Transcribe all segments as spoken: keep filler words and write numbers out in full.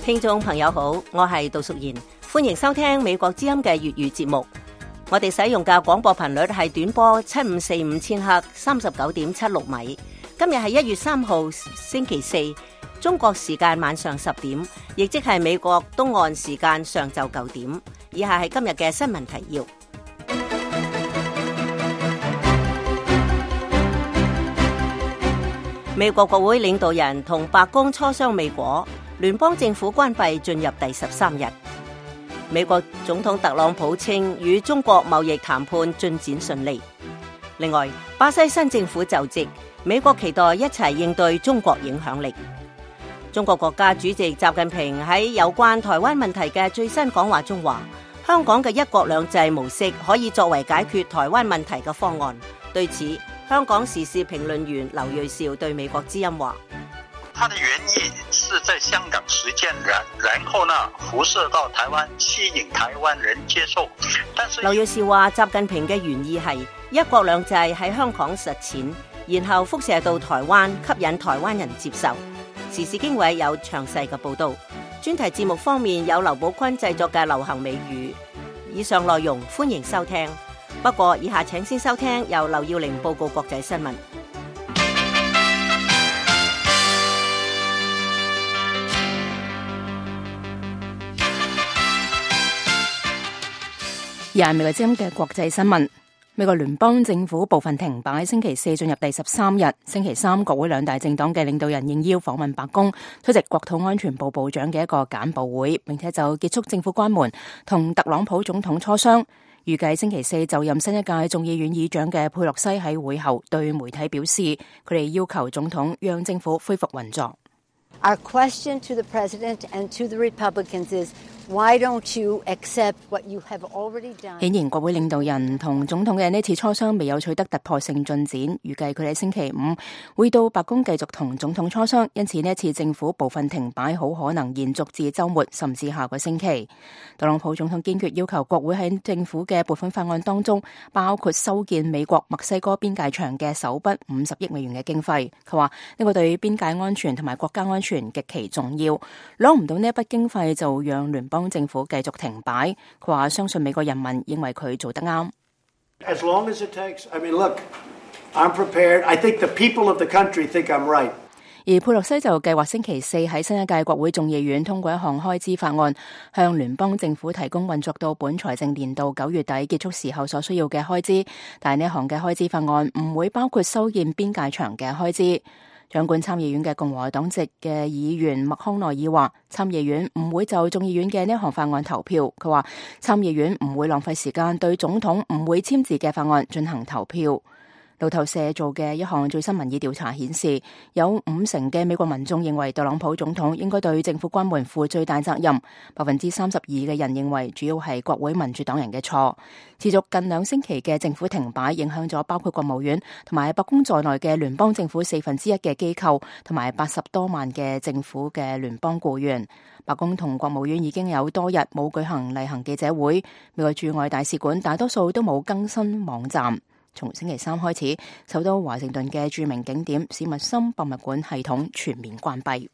聽眾朋友好，我係杜淑賢，歡迎收聽美國之音嘅粵語節目。我哋使用嘅廣播頻率係短波七五四五千赫，三十九點七六米。今日係一月三號星期四，中國時間晚上十點，亦即係美國東岸時間上晝九點。以下係今日嘅新聞提要。美國國會領導人同白宮磋商未果，聯邦政府關閉進入第十三日。美國總統特朗普稱與中國貿易談判進展順利。另外，巴西新政府就職，美國期待一齊應對中國影響力。中國國家主席習近平喺有關台灣問題嘅最新講話中話，香港嘅一國兩制模式可以作為解決台灣問題嘅方案。對此，香港時事評論員劉銳紹對美國之音話：它的原意是在香港實踐，然然後呢輻射到台灣，吸引台灣人接受。但是劉銳紹話，習近平嘅原意係一國兩制喺香港實踐，然後輻射到台灣，吸引台灣人接受。時事經緯有詳細嘅報道。專題節目方面有劉寶坤製作嘅流行美語。以上內容歡迎收聽。不過以下請先收聽由劉耀玲報告國際新聞。而係美國之音嘅國際新聞。美國聯邦政府部分停擺，星期四進入第十三日。星期三，國會兩大政黨嘅領導人應邀訪問白宮，出席國土安全部部長嘅一個簡報會，並且就結束政府關門同特朗普總統磋商。預計星期四就任新一屆眾議院議長嘅佩洛西喺會後對媒體表示，佢哋要求總統讓政府恢復運作。Our question to the President and to the Republicans is, why don't you accept what you have already done? 顯然，國會領導人同總統嘅呢次磋商未有取得突破性進展。預計佢哋星期五會到白宮繼續同總統磋商，因此呢次政府部分停擺好可能延續至週末，甚至下個星期。特朗普總統堅決要求國會喺政府嘅撥款法案當中，包括修建美國墨西哥邊界牆嘅首筆五十億美元嘅經費。佢話呢個對邊界安全同埋國家安全極其重要，攞唔到呢一筆經費就讓聯邦政府繼續停擺。佢話相信美國人民認為佢做得啱。As long as it takes, I mean, look, I'm prepared. I think the people of the country think I'm right. 而佩洛西就計劃星期四喺新一屆國會眾議院通過一項開支法案，向聯邦政府提供運作到本財政年度九月底結束時候所需要嘅開支，但係呢一項嘅開支法案唔會包括修建邊界牆嘅開支。掌管參議院嘅共和黨籍嘅議員麥康奈爾話，參議院唔會就眾議院嘅呢一項法案投票。佢話參議院唔會浪費時間對總統唔會簽字嘅法案進行投票。路透社做嘅一項最新民意調查顯示，有五成嘅美國民眾認為特朗普總統應該對政府關門負最大責任，百分之三十二嘅人認為主要係國會民主黨人嘅錯。持續近兩星期嘅政府停擺影響咗包括國務院同埋白宮在內嘅聯邦政府四分之一嘅機構同埋八十多萬嘅政府嘅聯邦僱員。白宮同國務院已經有多日冇舉行例行記者會，美國駐外大使館大多數都冇更新網站。從星期三開始，首都華盛頓嘅著名景點史密森博物館系統全面關閉。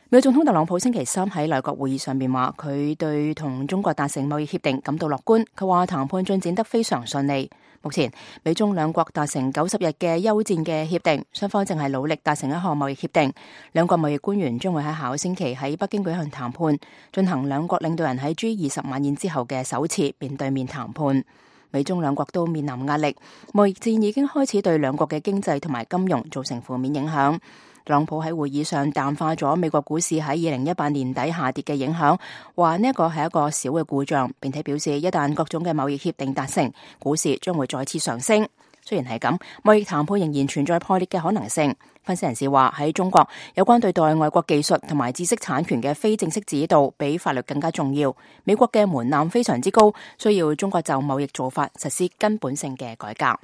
美國總統特朗普星期三喺內閣會議上面話，佢對同中國達成貿易協定感到樂觀。佢話談判進展得非常順利。目前美中兩國達成九十日嘅休戰嘅協定，雙方正係努力達成一項貿易協定。兩國貿易官員將會喺下個星期喺北京舉行談判，進行兩國領導人喺 G 二十晚宴之後嘅首次面對面談判。美中兩國都面臨壓力，貿易戰已經開始對兩國嘅經濟同埋金融造成負面影響。特朗普喺會議上淡化咗美國股市喺二零一八年底下跌嘅影響，話呢一個係一個小嘅故障，並且表示一旦各種嘅貿易協定達成，股市將會再次上升。雖然係咁，貿易談判仍然存在破裂嘅可能性。分析人士話喺中國，有關對待外國技術同埋知識產權嘅非正式指導比法律更加重要。美國嘅門檻非常之高，需要中國就貿易做法實施根本性嘅改革。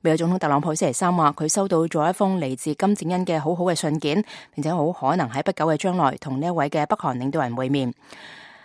美國總統特朗普星期三話，佢收到咗一封嚟自金正恩嘅好好嘅信件，並且好可能喺不久嘅將來同呢一位嘅北韓領導人會面。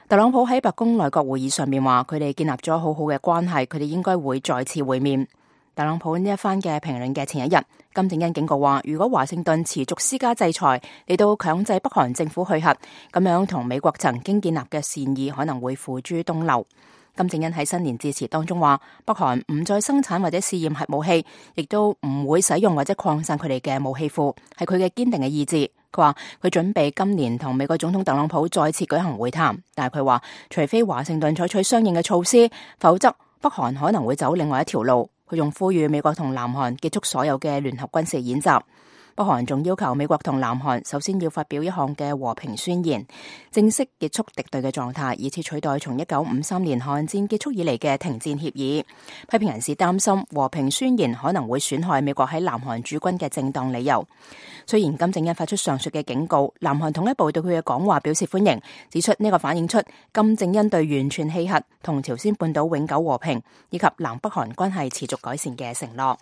特朗普喺白宮內閣會議上面話，佢哋建立咗好好嘅關係，佢哋應該會再次會面。特朗普呢一番嘅評論嘅前一日，金正恩警告話，如果華盛頓持續施加制裁嚟到強制北韓政府去核，咁樣同美國曾經建立嘅善意可能會付諸東流。金正恩喺新年致辭當中話，北韓唔再生產或者試驗核武器，亦都唔會使用或者擴散佢哋嘅武器庫，係佢嘅堅定嘅意志。佢話佢準備今年同美國總統特朗普再次舉行會談，但係佢話除非華盛頓採取相應嘅措施，否則北韓可能會走另外一條路。佢仲呼籲美國同南韓結束所有嘅聯合軍事演習。北韓仲要求美國同南韓首先要發表一項嘅和平宣言，正式結束敵對嘅狀態，以此取代從一九五三年韓戰結束以嚟嘅停戰協議。批評人士擔心和平宣言可能會損害美國喺南韓駐軍嘅正當理由。雖然金正恩發出上述嘅警告，南韓統一部對佢嘅講話表示歡迎，指出呢個反映出金正恩對完全棄核、同朝鮮半島永久和平以及南北韓關係持續改善嘅承諾。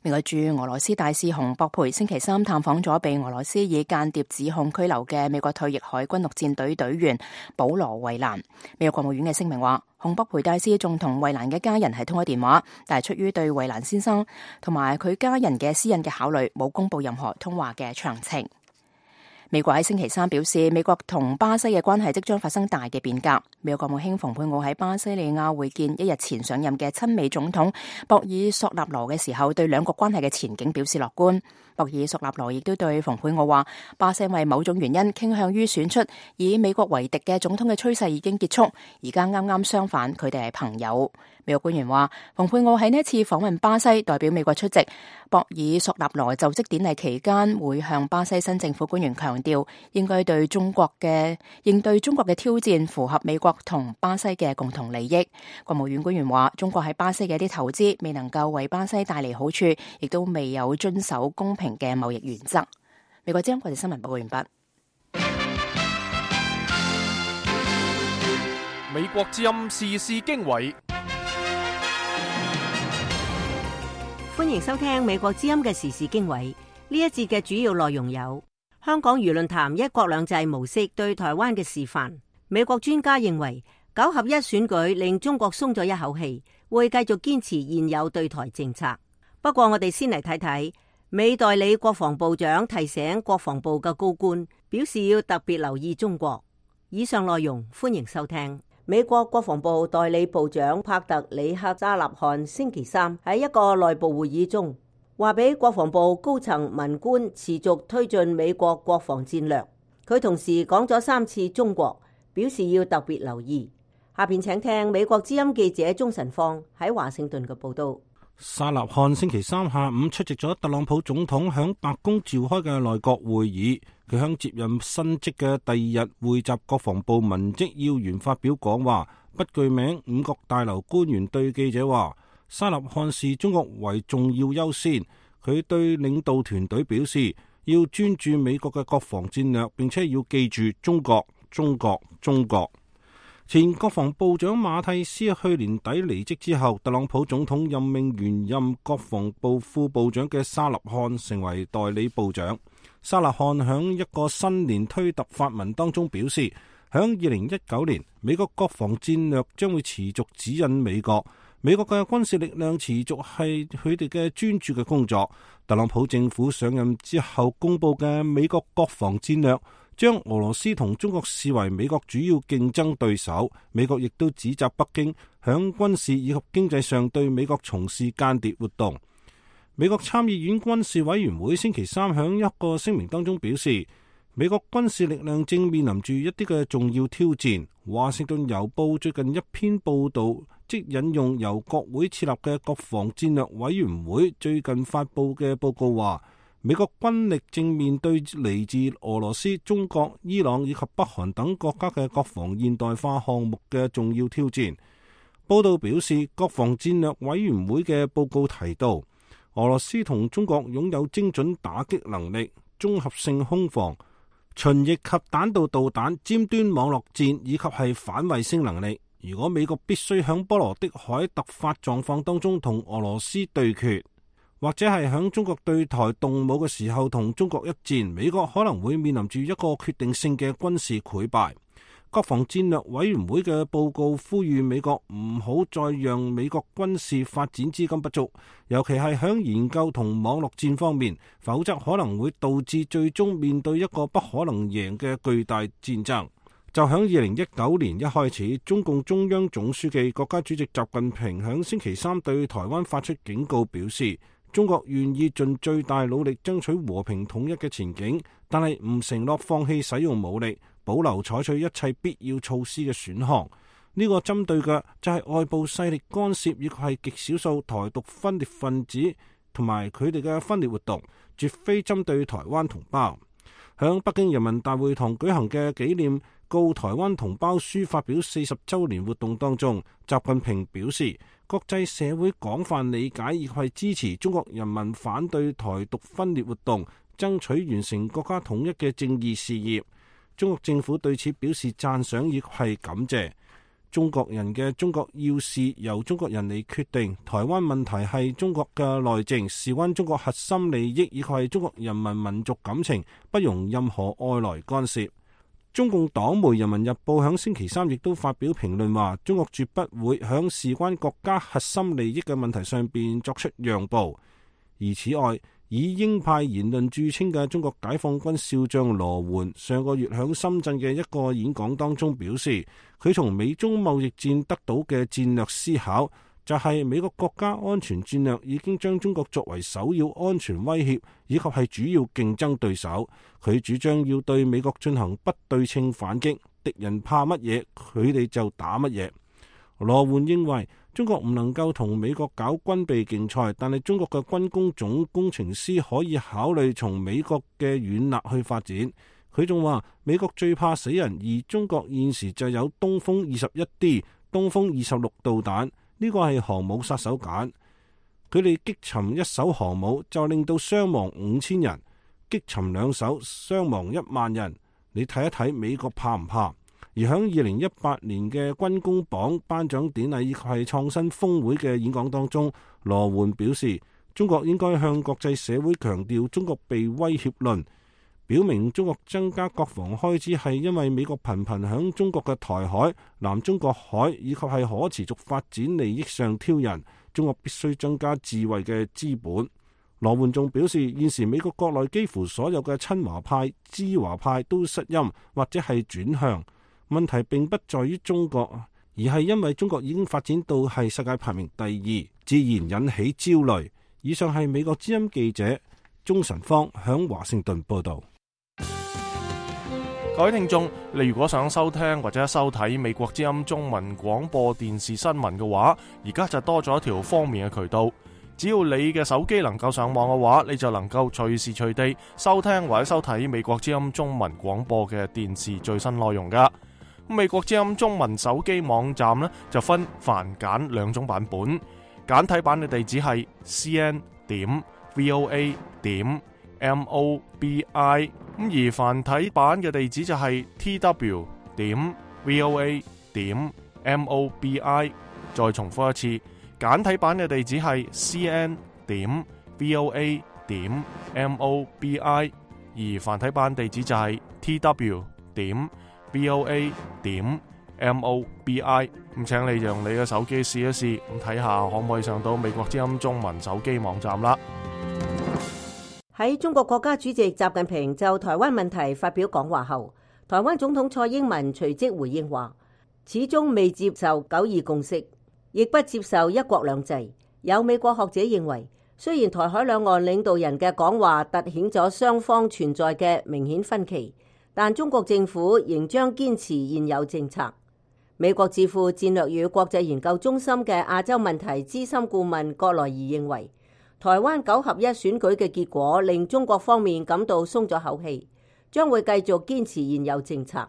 美國駐俄羅斯大使洪博培星期三探訪咗被俄羅斯以間諜指控拘留嘅美國退役海軍陸戰隊隊員保羅衛蘭。美國國務院嘅聲明話，洪博培大使仲同衛蘭嘅家人係通咗電話，但係出於對衛蘭先生同埋佢家人嘅私隱嘅考慮，冇公布任何通話嘅詳情。美國喺星期三表示，美國同巴西嘅關係即將發生大嘅變革。美國國務卿蓬佩奧喺巴西利亞會見一日前上任嘅親美總統博爾索納羅嘅時候，對兩國關係嘅前景表示樂觀。博爾索納羅亦都對蓬佩奧話，巴西為某種原因傾向於選出以美國為敵嘅總統嘅趨勢已經結束，而家啱啱相反，佢哋係朋友。美國官員話，蓬佩奧喺呢一次訪問巴西，代表美國出席博爾索納羅就職典禮期間，會向巴西新政府官員強調，應該對中國嘅應對中國嘅挑戰符合美國同巴西嘅共同利益。國務院官員話，中國喺巴西嘅一啲投資未能夠為巴西帶嚟好處，亦都未有遵守公平嘅貿易原則。美國之音國際新聞報告完畢。美國之音時事經緯，歡迎收聽美國之音嘅時事經緯。呢一節嘅主要內容有：香港輿論談一國兩制模式對台灣嘅示範。美國專家認為九合一選舉令中國鬆咗一口氣，會繼續堅持現有對台政策。不過我哋先嚟睇睇，美代理國防部長提醒國防部嘅高官，表示要特別留意中國。以上內容歡迎收聽。美國國防部代理部長帕特里克扎納漢星期三喺一個內部會議中，話俾國防部高層文官持續推進美國國防戰略。佢同時講咗三次中國，表示要特別留意。下邊請聽美國之音記者鍾晨芳喺華盛頓嘅報道。沙納漢星期三下午出席咗特朗普總統響白宮召開嘅內閣會議，佢響接任新職嘅第二日匯集國防部文職要員發表講話，不具名五角大樓官員對記者話，沙納漢視中國為重要優先。佢對領導團隊表示，要專注美國嘅國防戰略，並且要記住中國、中國、中國。前國防部長馬蒂斯去年底離職之後，特朗普總統任命原任國防部副部長嘅沙納漢成為代理部長。沙納漢響一個新年推特發文當中表示，響二零一九年，美國國防戰略將會持續指引美國，美國嘅軍事力量持續係佢哋嘅專注嘅工作。特朗普政府上任之後公布嘅美國國防戰略，將俄羅斯同中國視為美國主要競爭對手。美國亦都指責北京響軍事以及經濟上對美國從事間諜活動。美國參議院軍事委員會星期三響一個聲明當中表示，美國軍事力量正面臨住一啲嘅重要挑戰。華盛頓郵報最近一篇報道，即引用由國會設立嘅國防戰略委員會最近發布嘅報告話，美國軍力正面對嚟自俄羅斯、中國、伊朗以及北韓等國家嘅國防現代化項目嘅重要挑戰。報道表示，國防戰略委員會嘅報告提到，俄羅斯同中國擁有精準打擊能力、綜合性空防、巡弋及彈道導彈、尖端網絡戰以及係反衛星能力。如果美國必須響波羅的海突發狀況當中同俄羅斯對決，或者係響中國對台動武嘅時候同中國一戰，美國可能會面臨住一個決定性嘅軍事潰敗。國防戰略委員會嘅報告呼籲美國唔好再讓美國軍事發展資金不足，尤其係響研究同網絡戰方面，否則可能會導致最終面對一個不可能贏嘅巨大戰爭。就響二零一九年一開始，中共中央總書記、國家主席習近平響星期三對台灣發出警告，表示中國願意盡最大努力爭取和平統一嘅前景，但係唔承諾放棄使用武力，保留採取一切必要措施嘅選項。呢、這個針對嘅就係外部勢力干涉，以及係極少數台獨分裂分子同埋佢哋嘅分裂活動，絕非針對台灣同胞。響北京人民大會堂舉行嘅紀念告台灣同胞書發表四十週年活動當中，習近平表示，國際社會廣泛理解亦係支持中國人民反對台獨分裂活動，爭取完成國家統一嘅正義事業。中國政府對此表示讚賞亦係感謝。中國人嘅中國要事由中國人嚟決定，台灣問題係中國嘅內政，事關中國核心利益，亦係中國人民民族感情，不容任何外來干涉。中共黨媒《人民日報》響星期三亦都發表評論話，中國絕不會響事關國家核心利益嘅問題上邊作出讓步。而此外，以鷹派言論著稱嘅中國解放軍少將羅援上個月響深圳嘅一個演講當中表示，佢從美中貿易戰得到嘅戰略思考，就係美國國家安全戰略已經將中國作為首要安全威脅，以及係主要競爭對手。佢主張要對美國進行不對稱反擊，敵人怕乜嘢，佢哋就打乜嘢。羅援認為中國唔能夠同美國搞軍備競賽，但係中國嘅軍工總工程師可以考慮從美國嘅軟肋去發展。佢仲話美國最怕死人，而中國現時就有東風二十一 D、東風二十六導彈，呢個係航母殺手鐧。佢哋擊沉一艘航母就令到傷亡五千人，擊沉兩艘傷亡一萬人。你睇一睇美國怕唔怕？而喺二零一八年嘅軍工榜頒獎典禮以及係創新峰會嘅演講當中，羅援表示中國應該向國際社會強調中國被威脅論，表明中國增加國防開支係因為美國頻頻響中國嘅台海、南中國海以及係可持續發展利益上挑釁，中國必須增加自衛嘅資本。羅援仲表示，現時美國國內幾乎所有嘅親華派、知華派都失音或者係轉向。問題並不在於中國，而係因為中國已經發展到係世界排名第二，自然引起焦慮。以上係美國之音記者鍾晨芳響華盛頓報道。各位聽眾，你如果想收聽或者收睇美國之音中文廣播電視新聞嘅話，而家就多咗一條方便嘅渠道。只要你嘅手機能夠上網嘅話，你就能夠隨時隨地收聽或者收睇美國之音中文廣播嘅電視最新內容噶。美國之音中文手機網站呢，就分繁簡兩種版本，簡體版嘅地址係 c n 點 v o a 點 m o b i， 咁而繁體版嘅地址就係 t w 點 v o a 點 m o b i。 再重複一次，簡體版嘅地址係 c n 點 v o a 點 m o b i， 而繁體版地址就係 t w 點v o a 點 m o b i。 咁請你用你嘅手機試一試，咁睇下可唔可以上到美國之音中文手機網站啦。喺中國國家主席習近平就台灣問題發表講話後，台灣總統蔡英文隨即回應話，始終未接受九二共識，亦不接受一國兩制。有美國學者認為，雖然台海兩岸領導人嘅講話凸顯咗雙方存在嘅明顯分歧，但中國政府仍將堅持現有政策。美國智庫戰略與國際研究中心嘅亞洲問題資深顧問葛萊儀認為，台灣九合一選舉嘅結果令中國方面感到鬆咗口氣，將會繼續堅持現有政策。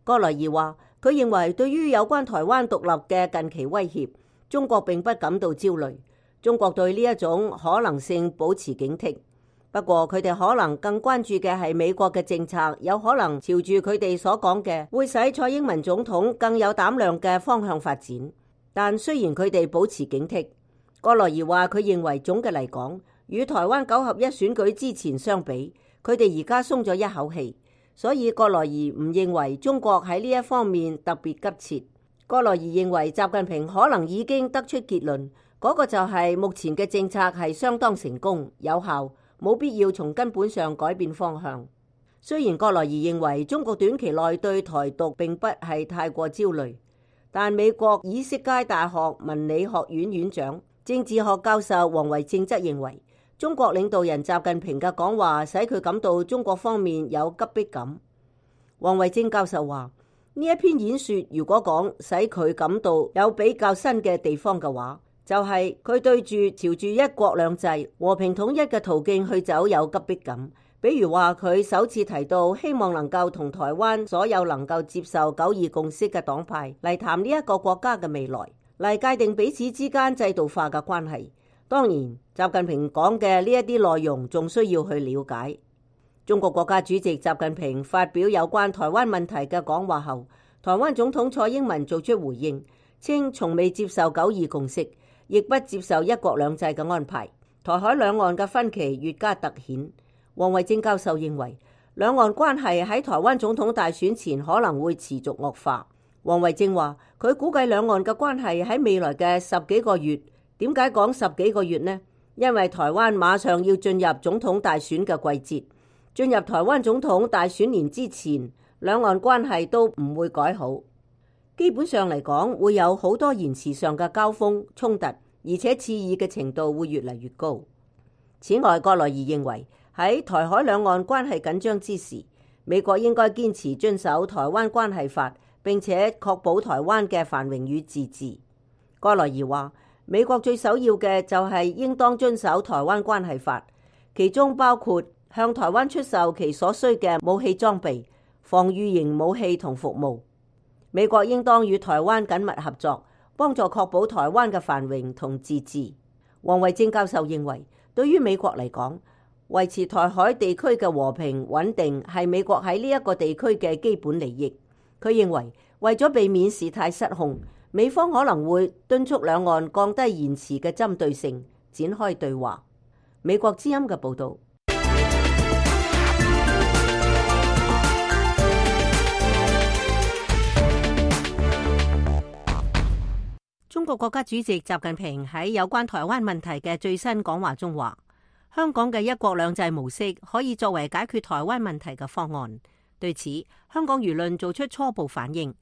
葛萊儀話，佢認為對於有關台灣獨立嘅近期威脅，中國並不感到焦慮，中國對呢一種可能性保持警惕。不過佢哋可能更關注嘅係美國嘅政策有可能朝住佢哋所講嘅會使蔡英文總統更有膽量嘅方向發展。但雖然佢哋保持警惕，葛萊儀話佢認為總嘅嚟講，與台灣九合一選舉之前相比，佢哋而家鬆咗一口氣。所以葛萊儀唔認為中國喺呢一方面特別急切。葛萊儀認為習近平可能已經得出結論，嗰個就係目前嘅政策係相當成功有效，冇必要從根本上改變方向。雖然葛萊儀認為中國短期內對台獨並不係太過焦慮，但美國以色列大學文理學院院長、政治學教授王維正則認為，中國領導人習近平嘅講話使佢感到中國方面有急迫感。王維正教授話：呢一篇演說如果講使佢感到有比較新嘅地方嘅話，就係、是、佢對住朝住一國兩制和平統一嘅途徑去走有急迫感。比如話佢首次提到希望能夠同台灣所有能夠接受九二共識嘅黨派嚟談呢一個國家嘅未來，嚟界定彼此之間制度化嘅關係。當然，習近平講嘅呢一啲內容仲需要去了解。中國國家主席習近平發表有關台灣問題嘅講話後，台灣總統蔡英文做出回應，稱從未接受九二共識，亦不接受一國兩制嘅安排。台海兩岸嘅分歧越加突顯。王維正教授認為，兩岸關係喺台灣總統大選前可能會持續惡化。王維正話，佢估計兩岸嘅關係喺未來嘅十幾個月。點解講十幾個月呢？因為台灣馬上要進入總統大選嘅季節，進入台灣總統大選年之前，兩岸關係都唔會改好。基本上嚟講，會有好多言辭上嘅交鋒衝突，而且刺耳嘅程度會越嚟越高。此外，葛萊儀認為，喺台海兩岸關係緊張之時，美國應該堅持遵守台灣關係法，並且確保台灣嘅繁榮與自治。葛萊儀話，美國最首要嘅就係應當遵守台灣關係法，其中包括向台灣出售其所需嘅武器裝備、防禦型武器同服務。美國應當與台灣緊密合作，幫助確保台灣嘅繁榮同自治。王維正教授認為，對於美國嚟講，維持台海地區嘅和平穩定係美國喺呢一個地區嘅基本利益。佢認為，為咗避免事態失控，美方可能會敦促兩岸降低言辭嘅針對性，展開對話。美國之音嘅報導。中國國家主席習近平喺有關台灣問題嘅最新講話中話，香港嘅一國兩制模式可以作為解決台灣問題嘅方案。對此，香港輿論做出初步反應。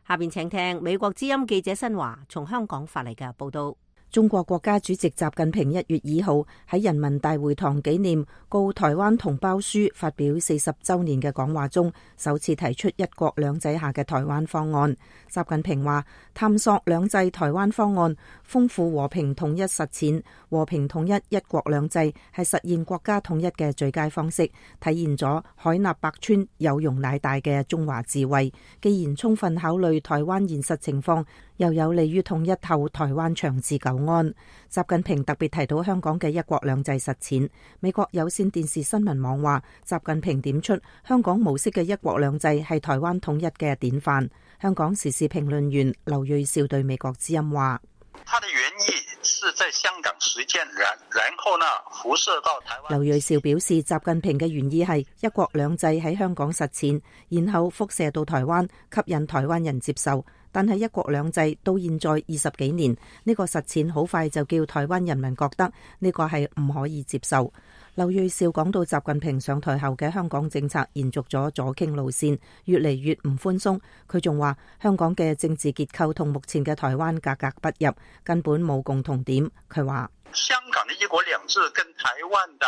下邊請聽美國之音記者新華從香港發嚟嘅報道。中國國家主席習近平一月二號喺人民大會堂紀念告台灣同胞書發表四十週年嘅講話中，首次提出一國兩制下嘅台灣方案。習近平話：探索兩制台灣方案，豐富和平統一實踐，和平統一一國兩制係實現國家統一嘅最佳方式，體現咗海納百川、有容乃大嘅中華智慧。既然充分考慮台灣現實情況，又有利於統一後台灣長治久安。習近平特別提到香港嘅一國兩制實踐。美國有線電視新聞網話，習近平點出香港模式嘅一國兩制係台灣統一嘅典範。香港時事評論員劉銳紹對美國之音話：他的原意是在香港實踐，然然後呢輻射到台灣。劉銳紹表示，習近平嘅原意係一國兩制喺香港實踐，然後輻射到台灣，吸引台灣人接受。但係一國兩制到現在二十幾年，呢個實踐好快就叫台灣人民覺得呢個係唔可以接受。劉銳紹講到習近平上台後嘅香港政策延續咗左傾路線，越嚟越唔寬鬆。佢仲話香港嘅政治結構同目前嘅台灣格格不入，根本冇共同點。佢話香港嘅一國兩制跟台灣嘅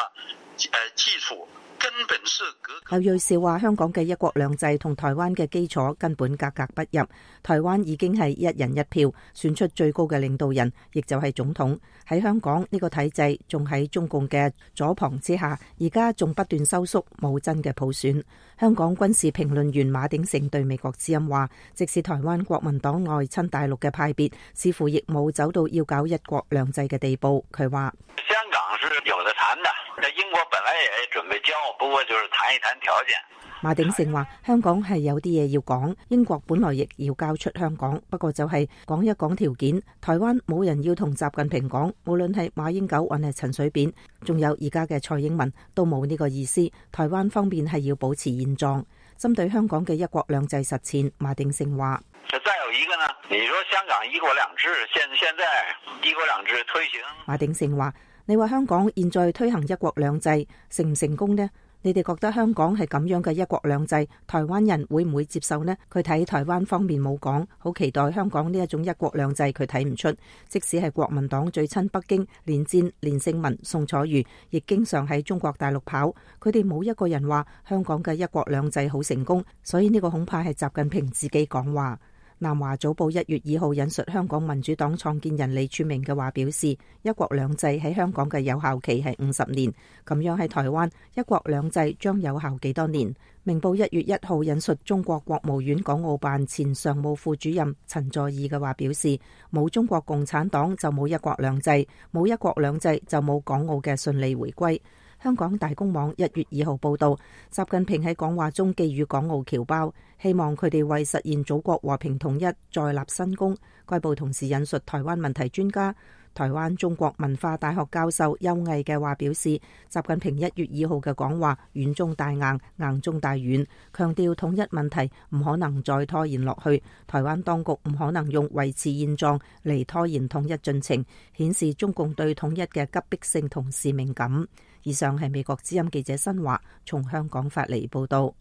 誒基礎根本是隔。劉銳紹話香港嘅一國兩制同台灣嘅基礎根本格格不入，台灣已經係一人一票選出最高嘅領導人，亦就係總統。喺香港呢個體制仲喺中共嘅左旁之下，而家仲不斷收縮，冇真嘅普選。香港軍事評論員馬鼎盛對美國之音話，即使台灣國民黨外親大陸嘅派別，似乎亦冇走到要搞一國兩制嘅地步。佢話香港是有得談的，英國本來也準備交，不過就是談一談條件。馬鼎盛話香港係有啲嘢要講，英國本來亦要交出香港，不過就係講一講條件。台灣冇人要同習近平講，無論係馬英九還係陳水扁，仲有而家嘅蔡英文都冇呢個意思。台灣方面係要保持現狀。針對香港嘅一國兩制實踐，馬鼎盛話：再有一個呢，你說香港一國兩制，現現在一國兩制推行。馬鼎盛話：你話香港現在推行一國兩制成唔成功呢？你哋覺得香港係咁樣嘅一國兩制，台灣人會唔會接受呢？佢睇台灣方面冇講，好期待香港呢一種一國兩制，佢睇唔出。即使係國民黨最親北京，連戰、連勝文、宋楚瑜，亦經常喺中國大陸跑，佢哋冇一個人話香港嘅一國兩制好成功，所以呢個恐怕係習近平自己講話。南華早報一月二號引述香港民主黨創建人李柱銘嘅話表示，一國兩制喺香港嘅有效期係五十年，咁樣喺台灣一國兩制將有效幾多年？明報一月一號引述中國國務院港澳辦前常務副主任陳佐洱嘅話表示，冇中國共產黨就冇一國兩制，冇一國兩制就冇港澳嘅順利回歸。香港大公網一月二號報道，習近平喺講話中寄語港澳僑胞，希望佢哋為實現祖國和平統一再立新功。該報同時引述台灣問題專家、台灣中國文化大學教授邱毅嘅話表示，習近平一月二號嘅講話軟中帶硬，硬中帶軟，強調統一問題唔可能再拖延落去，台灣當局唔可能用維持現狀嚟拖延統一進程，顯示中共對統一嘅急迫性同使命感。以上係美國之音記者新華從香港發嚟報道。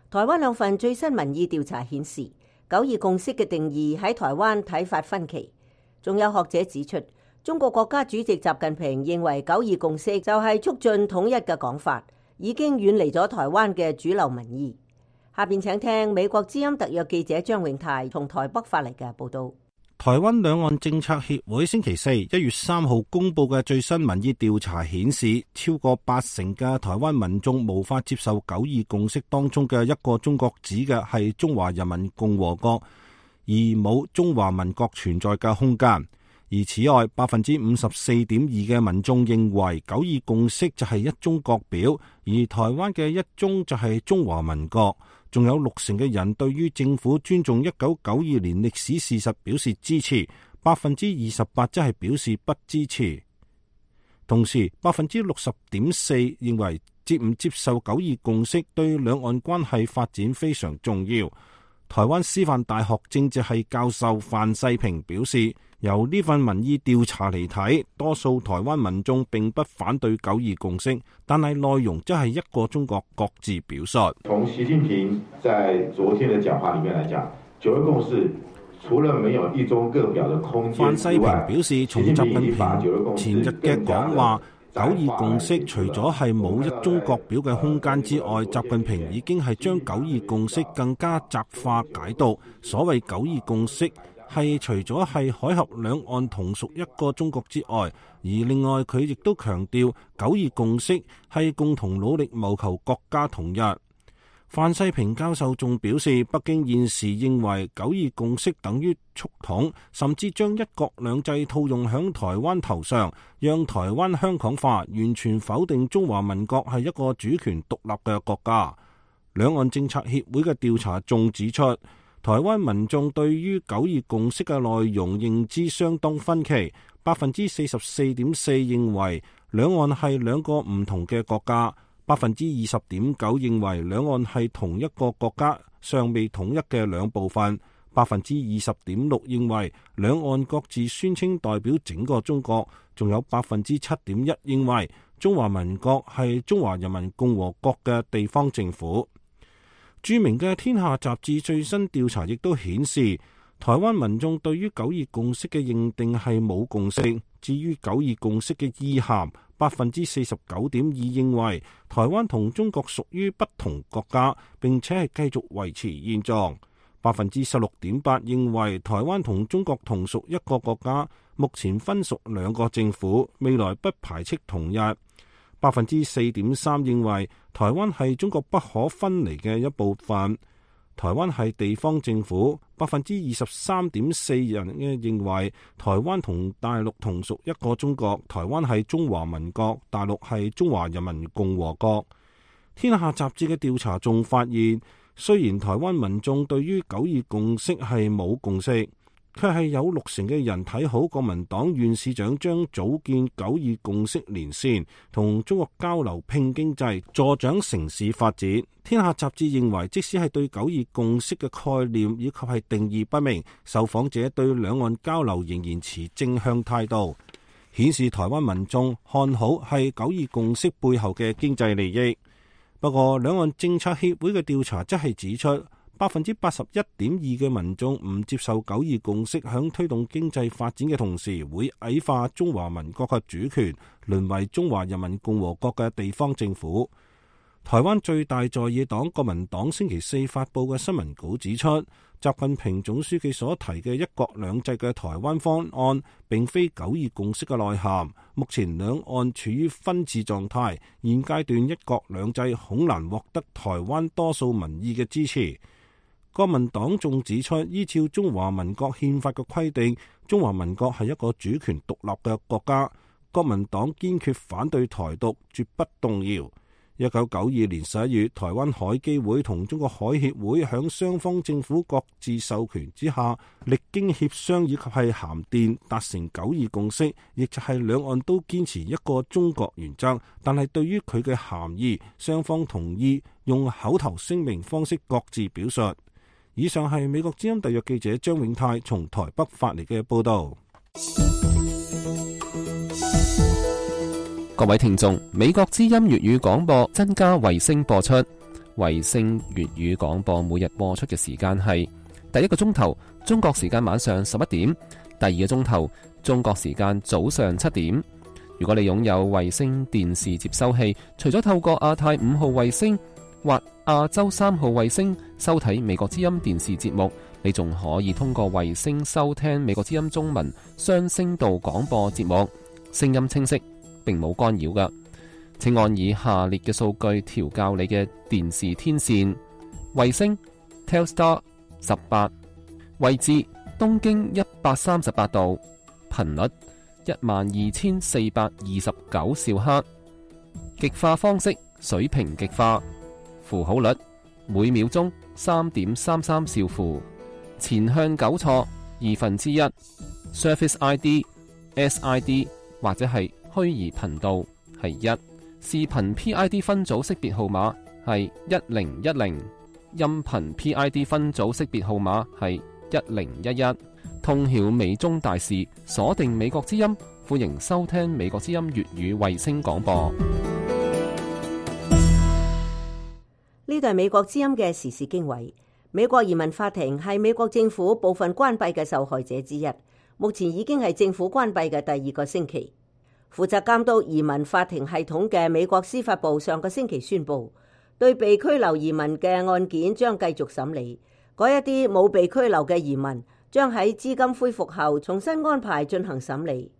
台灣兩份最新民意調查顯示，九二共識嘅定義喺台灣睇法分歧。仲有學者指出，中國國家主席習近平認為九二共識就係促進統一嘅講法，已經遠離咗台灣嘅主流民意。下邊請聽美國之音特約記者張永泰從台北發嚟嘅報道。台灣兩岸政策協會星期四一月三號公布嘅最新民意調查顯示，超過八成嘅台灣民眾無法接受九二共識當中嘅一個中國指嘅係中華人民共和國，而冇中華民國存在嘅空間。而此外，百分之五十四點二嘅民眾認為九二共識就係一中國表，而台灣嘅一中就係中華民國。仲有六成嘅人對於政府尊重一九九二年歷史事實表示支持，百分之二十八則係表示不支持。同時，百分之六十點四認為接唔接受九二共識對兩岸關係發展非常重要。台灣師範大學政治系教授范世平表示，由呢份民意調查嚟睇，多數台灣民眾並不反對九二共識，但係內容則係一個中國各自表述。從習近平在昨天的講話裡面來講，九二共識除了沒有一中各表的空間之外，范世平表示，從習近平前日嘅講話，九二共識除咗係冇一中國表嘅空間之外，習近平已經係將九二共識更加窄化解讀。所謂九二共識係除咗係海峽兩岸同屬一個中國之外，而另外佢亦都強調九二共識係共同努力謀求國家統一。范世平教授仲表示，北京現時認為九二共識等於促統，甚至將一國兩制套用響台灣頭上，讓台灣香港化，完全否定中華民國係一個主權獨立嘅國家。兩岸政策協會嘅調查仲指出，台灣民眾對於九二共識嘅內容認知相當分歧，百分之四十四點四認為兩岸係兩個唔同嘅國家，百分之二十點九認為兩岸係同一個國家尚未統一嘅兩部分，百分之二十點六認為兩岸各自宣稱代表整個中國，仲有百分之七點一認為中華民國係中華人民共和國嘅地方政府。著名嘅《天下》雜誌最新調查亦都顯示，台灣民眾對於九二共識嘅認定係冇共識。至於九二共識嘅意涵，百分之四十九點二認為台灣同中國屬於不同國家，並且係繼續維持現狀。百分之十六點八認為台灣同中國同屬一個國家，目前分屬兩個政府，未來不排斥統一。百分之四點三認為台灣係中國不可分離嘅一部分，台灣係地方政府。百分之二十三點四人認為台灣同大陸同屬一個中國，台灣係中華民國，大陸係中華人民共和國。天下雜誌嘅調查仲發現，雖然台灣民眾對於九二共識係冇共識，卻係有六成嘅人睇好國民黨縣市長將組建九二共識連線，同中國交流拼經濟，助長城市發展。天下雜誌認為，即使係對九二共識嘅概念以及係定義不明，受訪者對兩岸交流仍然持正向態度，顯示台灣民眾看好係九二共識背後嘅經濟利益。不過，兩岸政策協會嘅調查則係指出，百分之八十一點二嘅民眾唔接受九二共識響推動經濟發展嘅同時，會矮化中華民國嘅主權，淪為中華人民共和國嘅地方政府。台灣最大在野黨國民黨星期四發佈嘅新聞稿指出，習近平總書記所提嘅一國兩制嘅台灣方案並非九二共識嘅內涵。目前兩岸處於分治狀態，現階段一國兩制恐難獲得台灣多數民意嘅支持。國民黨仲指出，依照中華民國憲法嘅規定，中華民國係一個主權獨立嘅國家。國民黨堅決反對台獨，絕不動搖。一九九二年十一月，台灣海基會同中國海協會響雙方政府各自授權之下，歷經協商以及係函電達成九二共識，亦就係兩岸都堅持一個中國原則。但係對於佢嘅含義，雙方同意用口頭聲明方式各自表述。以上係美國之音特約記者張永泰從台北發嚟嘅報道。各位聽眾，美國之音粵語廣播增加衛星播出。衛星粵語廣播每日播出嘅時間係第一個鐘頭中國時間晚上十一點，第二個鐘頭中國時間早上七點。如果你擁有衛星電視接收器，除咗透過亞太五號衛星或亞洲三號衛星收睇美國之音電視節目，你仲可以通過衛星收聽美國之音中文雙聲道廣播節目，聲音清晰，並冇干擾㗎。請按以下列嘅數據調校你嘅電視天線：衛星 Telstar 十八，位置東經一百三十八度，頻率一萬二千四百二十九兆赫，極化方式水平極化，符號率每秒鐘三點三三兆符，前向糾錯二分之一 ，Service I D S I D 或者係虛擬頻道係一，視頻 P I D 分組識別號碼係一零一零，音頻 P I D 分組識別號碼係一零一一。通曉美中大事，鎖定美國之音，歡迎收聽美國之音粵語衛星廣播。呢度係美國之音嘅時事經緯。美國移民法庭係美國政府部分關閉嘅受害者之一，目前已經係政府關閉嘅第二個星期。負責監督移民法庭系統嘅美國司法部上個星期宣布，對被拘留移民嘅案件將繼續審理。嗰一啲冇被拘留嘅移民將喺資金恢復後重新安排進行審理。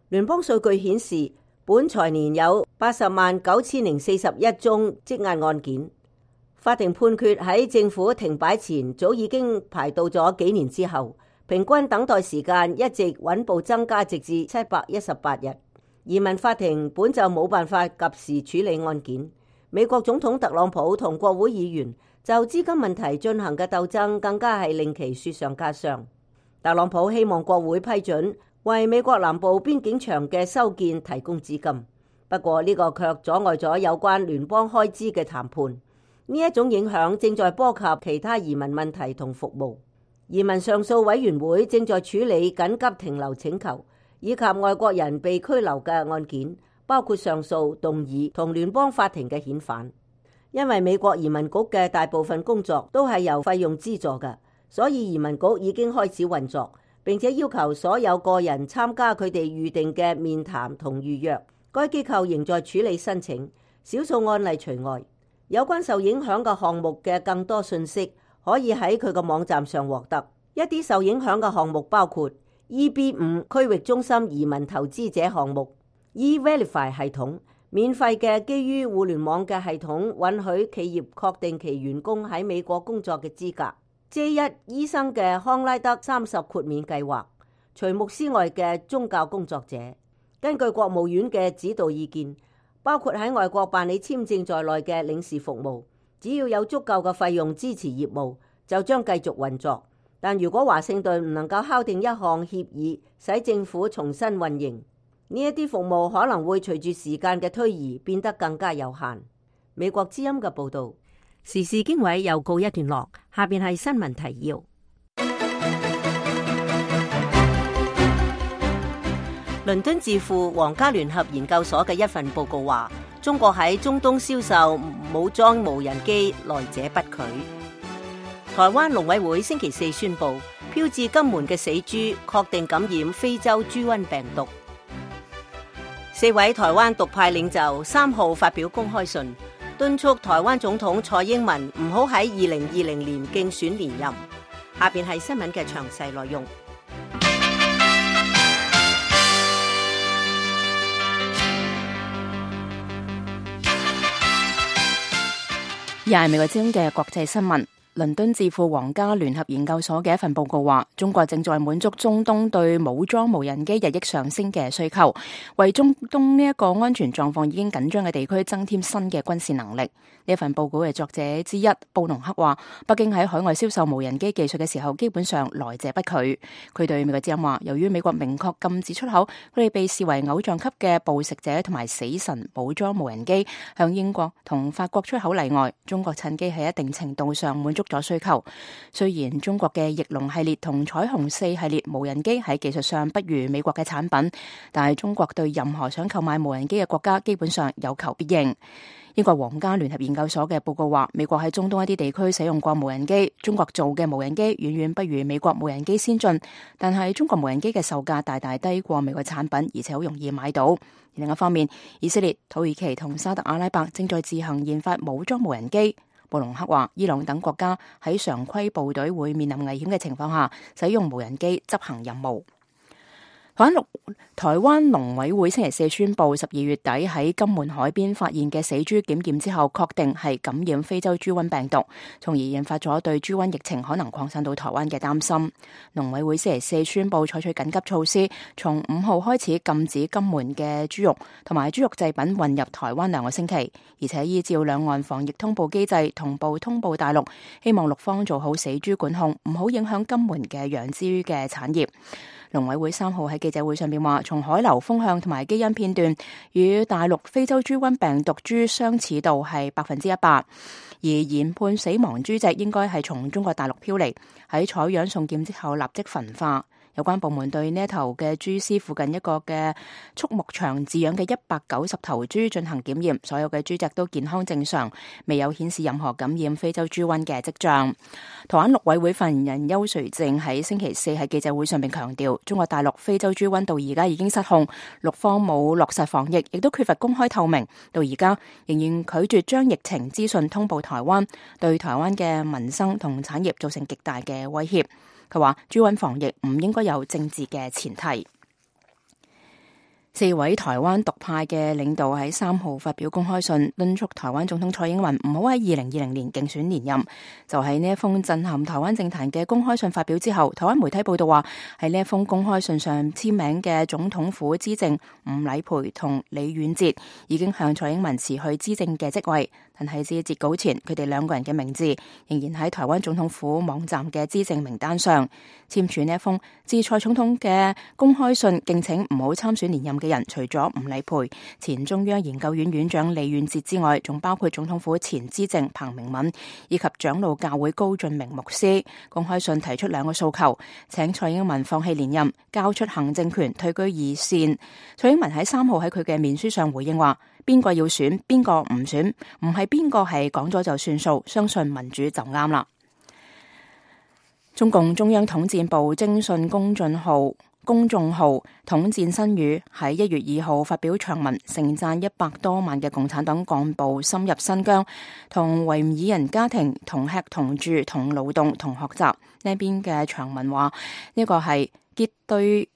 聯邦數據顯示，本財年有八十萬九千零四十一宗積壓案件。法庭判決喺政府停擺前早已經排到咗幾年之後，平均等待時間一直穩步增加，直至七百一十八日。移民法庭本就冇辦法及時處理案件。美國總統特朗普同國會議員就資金問題進行嘅鬥爭，更加係令其雪上加霜。特朗普希望國會批准為美國南部邊境牆嘅修建提供資金，不過呢個卻阻礙咗有關聯邦開支嘅談判。呢一種影響正在波及其他移民問題同服務。移民上訴委員會正在處理緊急停留請求以及外國人被拘留嘅案件，包括上訴、動議同聯邦法庭嘅遣返。因為美國移民局嘅大部分工作都係由費用資助嘅，所以移民局已經開始運作，並且要求所有個人參加佢哋預定嘅面談同預約。該機構仍在處理申請，少數案例除外。有關受影響嘅項目嘅更多信息可以喺佢個網站上獲得。一啲受影響嘅項目包括 E B 五 區域中心移民投資者項目、E-Verify 系統，免費嘅基於互聯網嘅系統，允許企業確定其員工喺美國工作嘅資格。J 一醫生嘅康拉德三十豁免計劃，除牧師外嘅宗教工作者。根據國務院嘅指導意見，包括喺外國辦理簽證在內嘅領事服務，只要有足夠嘅費用支持業務，就將繼續運作。但如果華盛頓唔能夠敲定一項協議，使政府重新運營，呢一啲服務可能會隨住時間嘅推移變得更加有限。美國之音嘅報導。時事經緯又告一段落，下邊係新聞提要。倫敦智庫皇家聯合研究所嘅一份報告話，中國喺中東銷售武裝無人機來者不拒。台灣農委會星期四宣布，飄至金門嘅死豬確定感染非洲豬瘟病毒。四位台灣獨派領袖三號發表公開信，敦促台灣總統蔡英文唔好喺二零二零年競選連任。下邊係新聞嘅詳細內容。又係美國之音嘅國際新聞。倫敦智庫皇家聯合研究所嘅一份報告話，中國正在滿足中東對武裝無人機日益上升嘅需求，為中東呢一個安全狀況已經緊張嘅地區增添新嘅軍事能力。呢份報告嘅作者之一布隆克話，北京喺海外銷售無人機技術嘅時候，基本上來者不拒。佢對美國之音話，由於美國明確禁止出口佢哋被視為偶像級嘅捕食者同埋死神武裝無人機向英國同法國出口例外，中國趁機喺一定程度上滿足咗需求。雖然中國嘅翼龍系列同彩虹四系列無人機喺技術上不如美國嘅產品，但係中國對任何想購買無人機嘅國家基本上有求必應。英國皇家聯合研究所嘅報告話，美國喺中東一啲地區使用過無人機，中國做嘅無人機遠遠不如美國無人機先進，但係中國無人機嘅售價大大低過美國產品，而且好容易買到。另一方面，以色列、土耳其同沙特阿拉伯正在自行研發武裝無人機。布隆克話，伊朗等國家喺常規部隊會面臨危險嘅情況下，使用無人機執行任務。台灣台灣農委會星期四宣布，十二月底喺金門海邊發現嘅死豬檢驗之後，確定係感染非洲豬瘟病毒，從而引發咗對豬瘟疫情可能擴散到台灣嘅擔心。農委會星期四宣布採取緊急措施，從五號開始禁止金門嘅豬肉同埋豬肉製品運入台灣兩個星期，而且依照兩岸防疫通報機制同步通報大陸，希望陸方做好死豬管控，唔好影響金門嘅養豬嘅產業。農委會三號喺記者會上面話，從海流風向同埋基因片段與大陸非洲豬瘟病毒株相似度係百分之一百，而研判死亡豬隻應該係從中國大陸飄嚟，喺採樣送檢之後立即焚化。有關部門對呢一頭嘅豬屍附近一個嘅畜牧場飼養嘅一百九十頭豬進行檢驗，所有嘅豬隻都健康正常，未有顯示任何感染非洲豬瘟嘅跡象。台灣陸委會發言人邱垂正喺星期四喺記者會上面強調，中國大陸非洲豬瘟到而家已經失控，陸方冇落實防疫，亦都缺乏公開透明，到而家仍然拒絕將疫情資訊通報台灣，對台灣嘅民生同產業造成極大嘅威脅。佢話豬瘟防疫唔應該有政治嘅前提。四位台灣獨派嘅領導喺三號發表公開信，敦促台灣總統蔡英文唔好喺二零二零年競選連任。就喺呢一封震撼台灣政壇嘅公開信發表之後，台灣媒體報道話，喺呢一封公開信上簽名嘅總統府資政吳禮培同李遠哲已經向蔡英文辭去資政嘅職位，但係至截稿前，佢哋兩個人嘅名字仍然喺台灣總統府網站嘅資政名單上。簽署呢一封致蔡總統嘅公開信，敬請唔好參選連任嘅人，除咗吳禮培、前中央研究院院長李遠哲之外，仲包括總統府前資政彭明敏以及長老教會高俊明牧師。公開信提出兩個訴求，請蔡英文放棄連任，交出行政權，退居二線。蔡英文喺三號喺佢嘅面書上回應話，邊個要選，邊個唔選，唔係邊個係講咗就算數，相信民主就啱啦。中共中央統戰部徵信公眾號公眾號統戰新語喺一月二號發表長文，盛讚一百多萬嘅共產黨幹部深入新疆，同維吾爾人家庭同吃同住同勞動同學習。呢邊嘅長文話，呢個係結對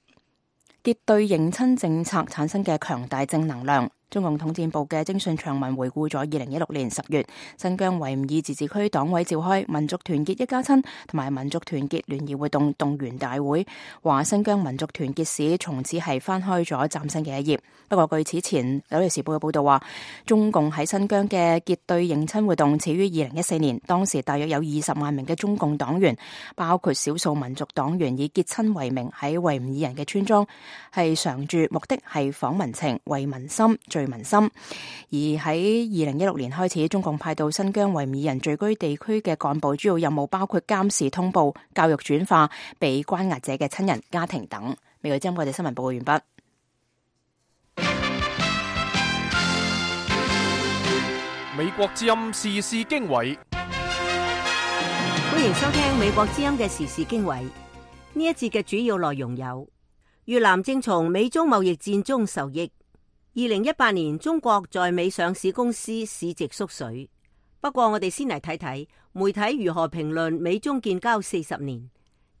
結對認親政策產生嘅強大正能量。中共統戰部嘅偵訊長文回顧咗二零一六年十月新疆維吾爾自治區黨委召開民族團結一家親同埋民族團結聯誼活動動員大會，話新疆民族團結史從此係翻開咗嶄新嘅一頁。不過據此前紐約時報嘅報道話，中共喺新疆嘅結對迎親活動始於二零一四年，當時大約有二十萬名嘅中共黨員，包括少數民族黨員，以結親為名喺維吾爾人嘅村莊係常住，目的係訪民情、慰民心、聚民心。而喺二零一六年開始，中共派到新疆維吾爾人聚居地區嘅幹部主要任務包括監視、通報、教育轉化被關押者嘅親人、家庭等。美國之音，我哋新聞報告完畢。美國之音時事經緯，歡迎收聽美國之音嘅時事經緯。呢一節嘅主要內容有：越南正從美中貿易戰中受益；二零一八年中國在美上市公司市值縮水。不過我哋先嚟睇睇媒體如何評論美中建交四十年。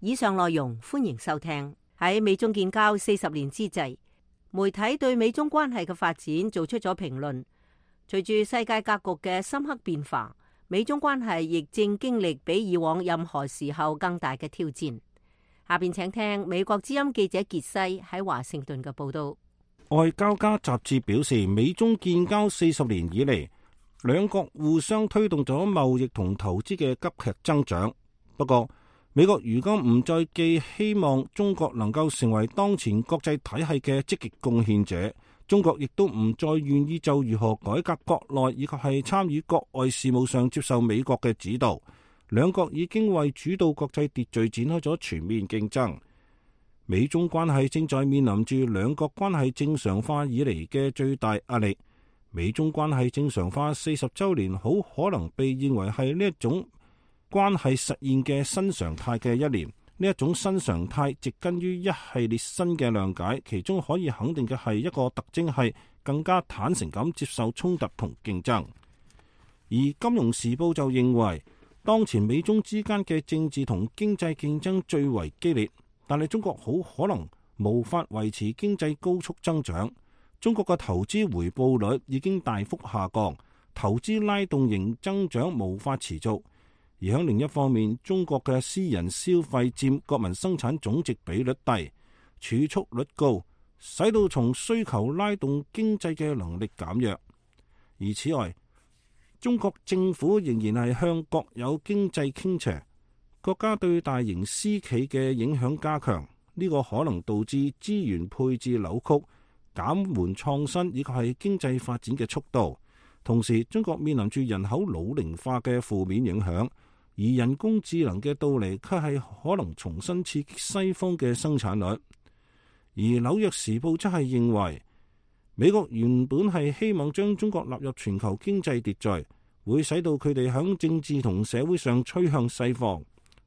以上內容歡迎收聽。喺美中建交四十年之際，媒體對美中關係嘅發展做出咗評論。隨住世界格局嘅深刻變化，美中關係亦正經歷比以往任何時候更大嘅挑戰。下邊請聽美國之音記者傑西喺華盛頓嘅報道。外交家雜誌表示，美中建交四十年以嚟，兩國互相推動咗貿易同投資嘅急劇增長。不過，美國如今唔再寄希望中國能夠成為當前國際體系嘅積極貢獻者。中國亦都唔再願意就如何改革國內以及係參與國外事務上接受美國嘅指導。兩國已經為主導國際秩序展開咗全面競爭。美中關係正在面臨住兩國關係正常化以嚟嘅最大壓力。美中關係正常化四十週年好可能被認為係呢一種關係實現嘅新常態嘅一年。呢一種新常態植根於一系列新嘅諒解，其中可以肯定嘅係一個特徵係更加坦誠咁接受衝突同競爭。而《金融時報》就認為，當前美中之間嘅政治同經濟競爭最為激烈，但係中國好可能無法維持經濟高速增長。中國嘅投資回報率已經大幅下降，投資拉動型增長無法持續。而喺另一方面，中國嘅私人消費佔國民生產總值比率低，儲蓄率高，使到從需求拉動經濟嘅能力減弱。而此外，中國政府仍然係向國有經濟傾斜，國家對大型私企嘅影響加強，呢個可能導致資源配置扭曲，減緩創新以及係經濟發展嘅速度。同時，中國面臨住人口老齡化嘅負面影響。而人工智能嘅到嚟，卻係可能重新刺激西方嘅生產率。而紐約時報則係認為，美國原本係希望將中國納入全球經濟秩序，會使到佢哋響政治同社會上趨向西方。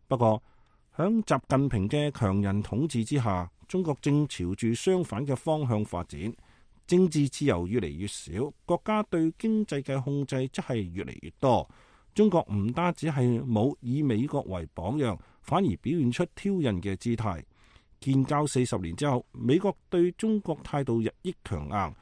不過，響習近平嘅強人統治之下，中國正朝住相反嘅方向發展，政治自由越嚟越少，國家對經濟嘅控制則係越嚟越多。中國唔單止係冇以美國為榜樣，反而表現出挑釁嘅姿態。建交四十年之後，美國對中國態度日益強硬，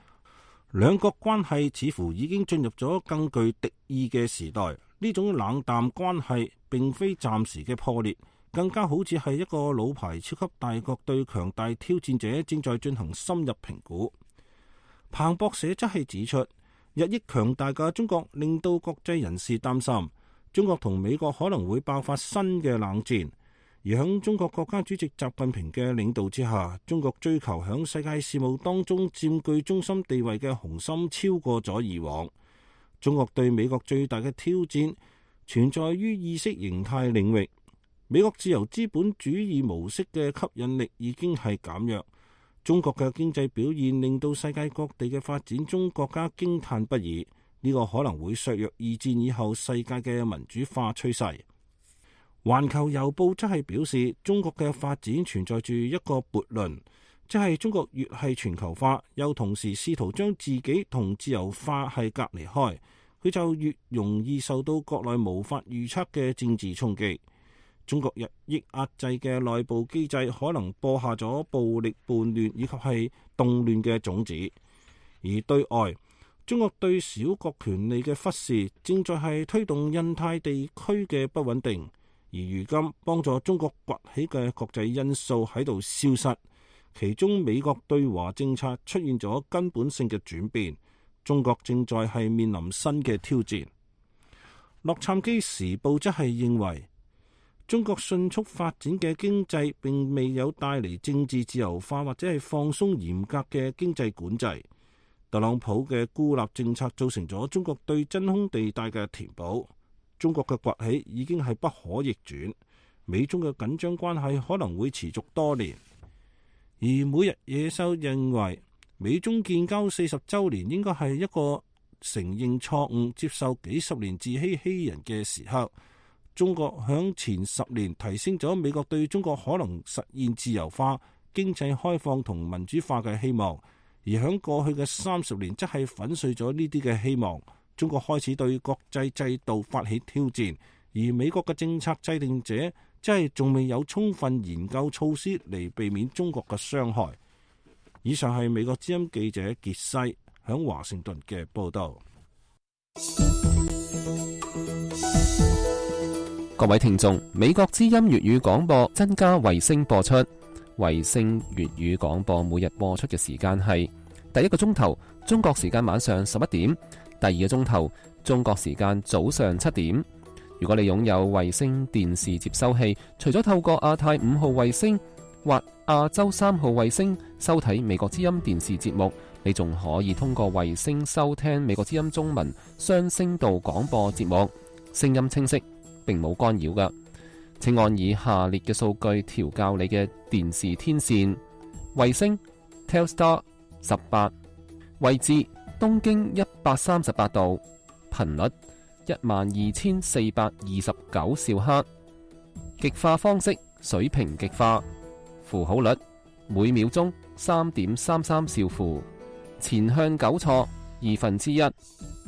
兩國關係似乎已經進入咗更具敵意嘅時代。呢種冷淡關係並非暫時嘅破裂，更加好似係一個老牌超級大國對強大挑戰者正在進行深入評估。彭博社則係指出，日益強大嘅中國令到國際人士擔心，中國同美國可能會爆發新嘅冷戰。而喺中國國家主席習近平嘅領導之下，中國追求喺世界事務當中佔據中心地位嘅雄心超過咗以往。中國對美國最大嘅挑戰存在於意識形態領域。美國自由資本主義模式嘅吸引力已經係減弱。中國嘅經濟表現令到世界各地嘅發展中國家驚嘆不已，呢、這個可能會削弱二戰以後世界嘅民主化趨勢。環球郵報則係表示，中國嘅發展存在住一個悖論，即係中國越係全球化，又同時試圖將自己同自由化係隔離開，佢就越容易受到國內無法預測嘅政治衝擊。中國日益壓制嘅內部機制可能播下咗暴力叛亂以及係動亂嘅種子，而對外中國對小國權利嘅忽視，正在係推動印太地區嘅不穩定。而如今幫助中國崛起嘅國際因素喺度消失，其中美國對華政策出現咗根本性嘅轉變，中國正在係面臨新嘅挑戰。洛杉磯時報則係認為，中國迅速發展嘅經濟並未有帶嚟政治自由化或者係放鬆嚴格嘅經濟管制。特朗普嘅孤立政策造成咗中國對真空地帶嘅填補，中國嘅崛起已經係不可逆轉，美中嘅緊張關係可能會持續多年。而每日野獸認為，美中建交四十週年應該係一個承認錯誤、接受幾十年自欺欺人嘅時刻。中國響前十年提升咗美國對中國可能實現自由化、經濟開放同民主化嘅希望。而喺過去嘅三十年，則係粉碎咗呢啲嘅希望。中國開始對國際制度發起挑戰，而美國嘅政策制定者，即係仲未有充分研究措施嚟避免中國嘅傷害。以上係美國之音記者傑西喺華盛頓嘅報道。各位聽眾，美國之音粵語廣播增加衛星播出。衛星粵語廣播每日播出嘅時間係第一個鐘頭中國時間晚上十一點，第二個鐘頭中國時間早上七點。如果你擁有衛星電視接收器，除咗透過亞太五號衛星或亞洲三號衛星收睇美國之音電視節目，你仲可以通過衛星收聽美國之音中文雙聲道廣播節目，聲音清晰，並冇干擾㗎。請按以下列嘅數據調校你嘅電視天線：衛星 Telstar 十八，位置東經一百三十八度，頻率一萬二千四百二十九兆赫，極化方式水平極化，符號率每秒鐘三點三三兆符，前向糾錯二分之一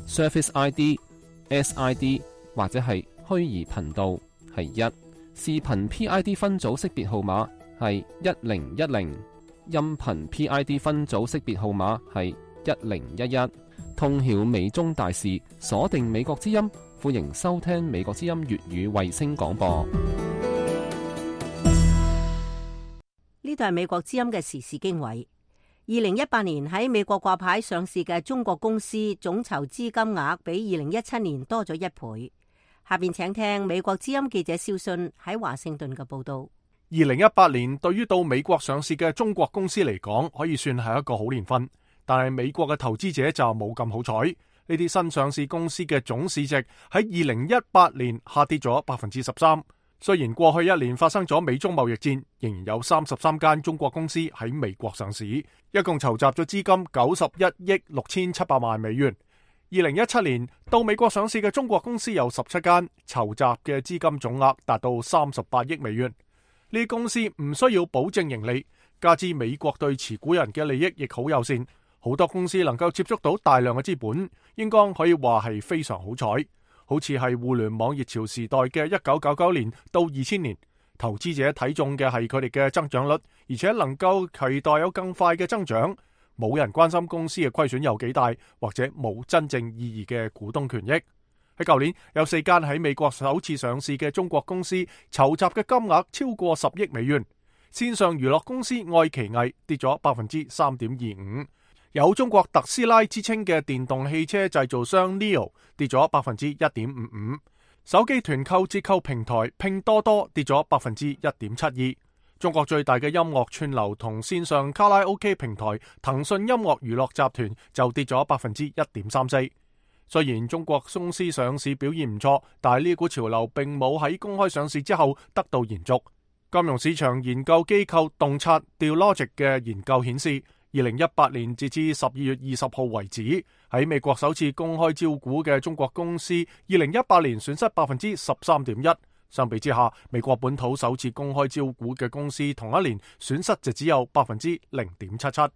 ，Surface I D、S I D 或者係虛擬頻道係一。視頻 P I D 分組識別號碼係一零一零，音頻 P I D 分組識別號碼係一零一一。通曉美中大事，鎖定美國之音，歡迎收聽美國之音粵語衛星廣播。呢度係美國之音嘅時事經緯。二零一八年喺美國掛牌上市嘅中國公司總籌資金額比二零一七年多咗一倍。下邊請聽美國之音記者肖信喺華盛頓嘅報道。二零一八年對於到美國上市嘅中國公司嚟講，可以算係一個好年份，但係美國嘅投資者就冇咁好彩。呢啲新上市公司嘅總市值喺二零一八年下跌咗百分之十三。雖然過去一年發生咗美中貿易戰，仍然有三十三間中國公司喺美國上市，一共籌集咗資金九十一億六千七百萬美元。二零一七年到美國上市嘅中國公司有十七間，籌集嘅資金總額達到三十八億美元。呢啲公司唔需要保證盈利，加之美國對持股人嘅利益亦好友善，好多公司能夠接觸到大量嘅資本，應該可以話係非常好彩。好似係互聯網熱潮時代嘅一九九九年到二千年，投資者睇中嘅係佢哋嘅增長率，而且能夠期待有更快嘅增長。冇人關心公司嘅虧損有幾大，或者冇真正意義嘅股東權益。喺舊年有四間喺美國首次上市嘅中國公司籌集嘅金額超過十億美元。線上娛樂公司愛奇藝跌咗百分之三點二五，有中國特斯拉之稱嘅電動汽車製造商 Nio 跌咗百分之一點五五，手機團購折扣平台拼多多跌咗百分之一點七二。中國最大嘅音樂串流同線上卡拉 OK 平台騰訊音樂娛樂集團就跌咗百分之一點三四。雖然中國公司上市表現唔錯，但係呢股潮流並冇喺公開上市之後得到延續。金融市場研究機構洞察 Dealogic 嘅研究顯示，二零一八年截至十二月二十號為止，喺美國首次公開招股嘅中國公司，二零一八年損失百分之十三點一。相比之下，美國本土首次公開招股嘅公司同一年損失就只有百分之零點七七。呢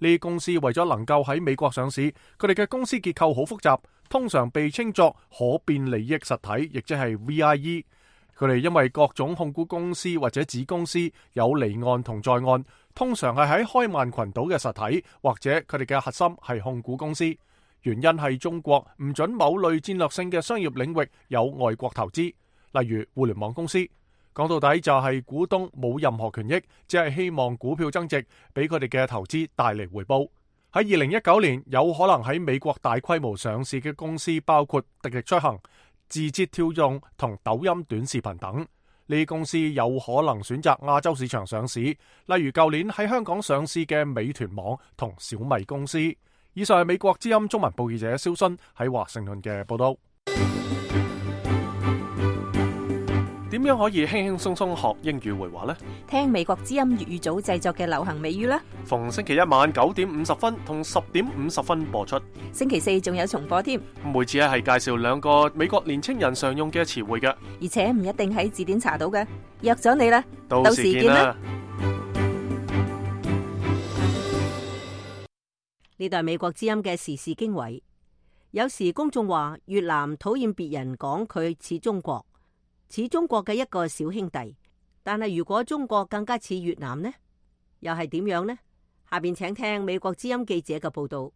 啲公司為咗能夠喺美國上市，佢哋嘅公司結構好複雜，通常被稱作可變利益實體，亦即係 V I E。佢哋因為各種控股公司或者子公司有離岸同在岸，通常係喺開曼群島嘅實體，或者佢哋嘅核心係控股公司。原因係中國唔准某類戰略性嘅商業領域有外國投資，例如互聯網公司。講到底就係股東冇任何權益，只係希望股票增值，俾佢哋嘅投資帶嚟回報。喺二零一九年，有可能喺美國大規模上市嘅公司包括滴滴出行、字節跳動同抖音短視頻等。呢啲公司有可能選擇亞洲市場上市，例如舊年喺香港上市嘅美團網同小米公司。以上係美國之音中文部記者蕭순喺華盛頓嘅報道。點樣可以輕輕鬆鬆學英語會話呢？聽美國之音粵語組製作嘅流行美語啦。逢星期一晚九點五十分同十點五十分播出。星期四仲有重播添。每次係介紹兩個美國年青人常用嘅詞彙嘅，而且唔一定喺字典查到嘅。約咗你啦，到時見啦。呢度係美國之音嘅時事經緯。有時公眾話越南討厭別人講佢似中國。似中國嘅一個小兄弟，但係如果中國更加似越南呢？又係點樣呢？下邊請聽美國之音記者嘅報道。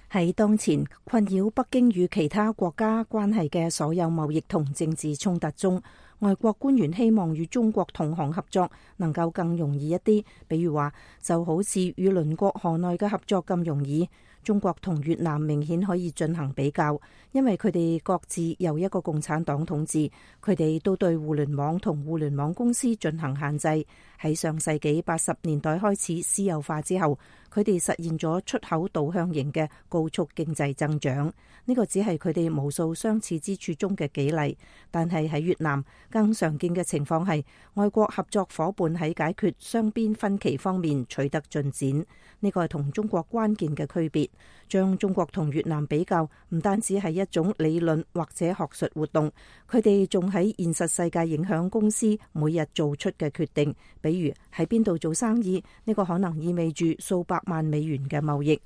喺當前困擾北京與其他國家關係嘅所有貿易同政治衝突中，外國官員希望與中國同行合作能夠更容易一啲，比如話就好似與鄰國河內嘅合作咁容易。中國同越南明顯可以進行比較，因為佢哋各自由一個共產黨統治，佢哋都對互聯網同互聯網公司進行限制。喺上世紀八十年代開始私有化之後，佢哋實現咗出口導向型嘅高速經濟增長。呢個只係佢哋無數相似之處中嘅幾例，但係喺越南更常見嘅情況係外國合作夥伴喺解決雙邊分歧方面取得進展。呢個係同中國關鍵嘅區別。將中國同越南比較，唔單止係一種理論或者學術活動，佢哋仲喺現實世界影響公司每日做出嘅決定。比如喺邊度做生意，呢個可能意味住數百萬美元嘅貿易。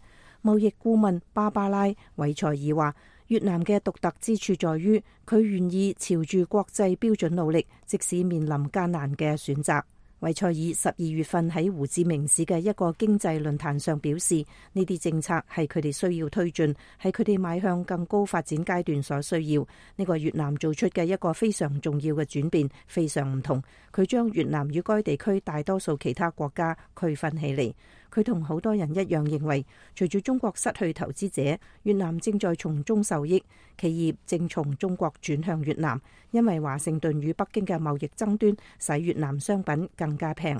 貿易顧問芭芭拉·韋塞爾話，越南嘅獨特之處在於佢願意朝住國際標準努力，即使面臨艱難嘅選擇。韋塞爾十二月份喺胡志明市嘅一個經濟論壇上表示，呢啲政策係佢哋需要推進，係佢哋邁向更高發展階段所需要。呢個越南做出嘅一個非常重要嘅轉變，非常唔同。佢將越南與該地區大多數其他國家區分起嚟。佢同好多人一樣認為，隨住中國失去投資者，越南正在從中受益。企業正從中國轉向越南，因為華盛頓與北京嘅貿易爭端使越南商品更加平。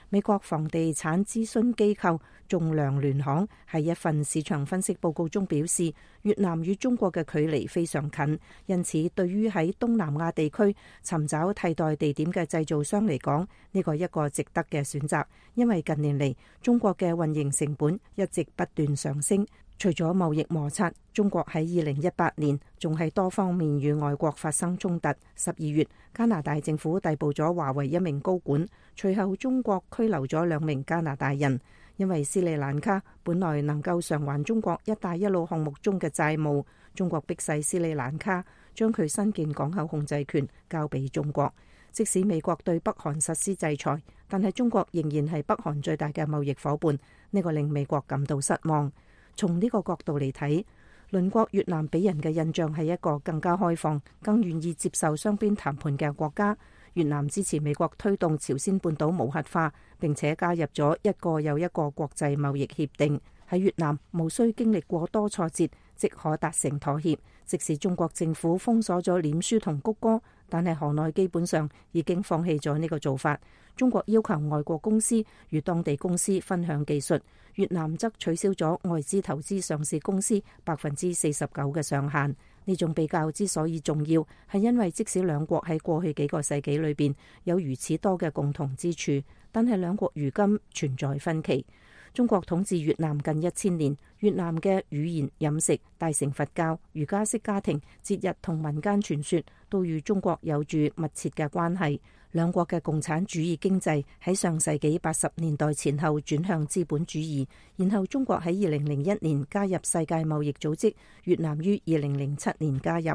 美國房地產諮詢機構仲量聯行喺一份市場分析報告中表示，越南與中國嘅距離非常近，因此對於喺東南亞地區尋找替代地點嘅製造商嚟講，呢個係一個值得嘅選擇，因為近年嚟中國嘅運營成本一直不斷上升。除咗貿易摩擦，中國喺二零一八年仲係多方面與外國發生衝突。十二月，加拿大政府逮捕咗華為一名高管，隨後中國拘留咗兩名加拿大人，因為斯里蘭卡本來能夠償還中國一帶一路項目中嘅債務，中國迫使斯里蘭卡將佢新建港口控制權交俾中國。即使美國對北韓實施制裁，但係中國仍然係北韓最大嘅貿易夥伴，呢個令美國感到失望。從呢個角度嚟睇，鄰國越南俾人嘅印象係一個更加開放、更願意接受雙邊談判嘅國家。越南支持美國推動朝鮮半島無核化，並且加入咗一個又一個國際貿易協定。喺越南，無需經歷過多挫折，即可達成妥協。即使中國政府封鎖咗臉書同谷歌，但係河內基本上已經放棄咗呢個做法。中國要求外國公司與當地公司分享技術，越南則取消咗外資投資上市公司百分之四十九嘅上限。呢種比較之所以重要，係因為即使兩國喺過去幾個世紀裏邊有如此多嘅共同之處，但係兩國如今存在分歧。中國統治越南近一千年，越南嘅語言、飲食、大乘佛教、儒家式家庭、節日同民間傳說都與中國有住密切嘅關係。兩國嘅共產主義經濟喺上世紀八十年代前後轉向資本主義，然後中國喺二零零一年加入世界貿易組織，越南於二零零七年加入。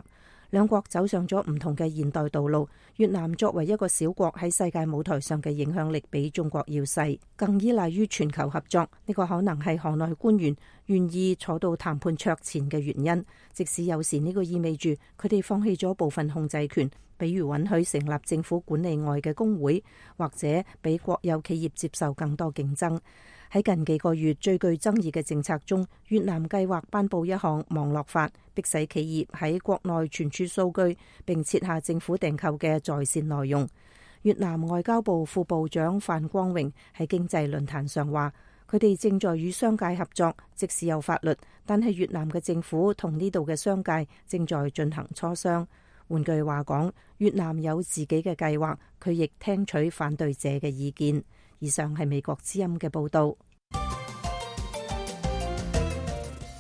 兩國走上咗唔同嘅現代道路。越南作為一個小國喺世界舞台上嘅影響力比中國要細，更依賴於全球合作。呢個可能係河內官員願意坐到談判桌前嘅原因，即使有時呢個意味住佢哋放棄咗部分控制權，比如允許成立政府管理外嘅工會，或者俾國有企業接受更多競爭。喺近幾個月最具爭議嘅政策中，越南計劃頒布一項網絡法，迫使企業喺國內存儲數據，並設下政府訂購嘅在線內容。越南外交部副部長范光榮喺經濟論壇上話，佢哋正在與商界合作，即使有法律，但係越南嘅政府同呢度嘅商界正在進行磋商。換句話講，越南有自己嘅計劃，佢亦聽取反對者嘅意見。以上係美國之音嘅報道。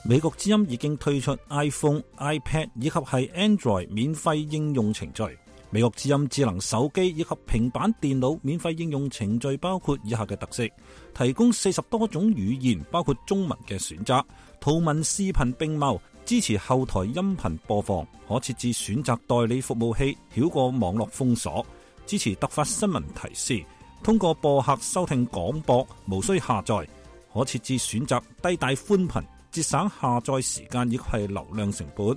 美國之音已經推出 iPhone、iPad 以及係 Android 免費應用程序。美國之音智能手機以及平板電腦免費應用程序包括以下嘅特色：提供四十多種語言，包括中文嘅選擇，圖文視頻並茂，支持後台音頻播放，可設置選擇代理服務器，繞過網絡封鎖，支持突發新聞提示，通過播客收聽廣播，無需下載，可設置選擇低帶寬頻，節省下載時間以及係流量成本。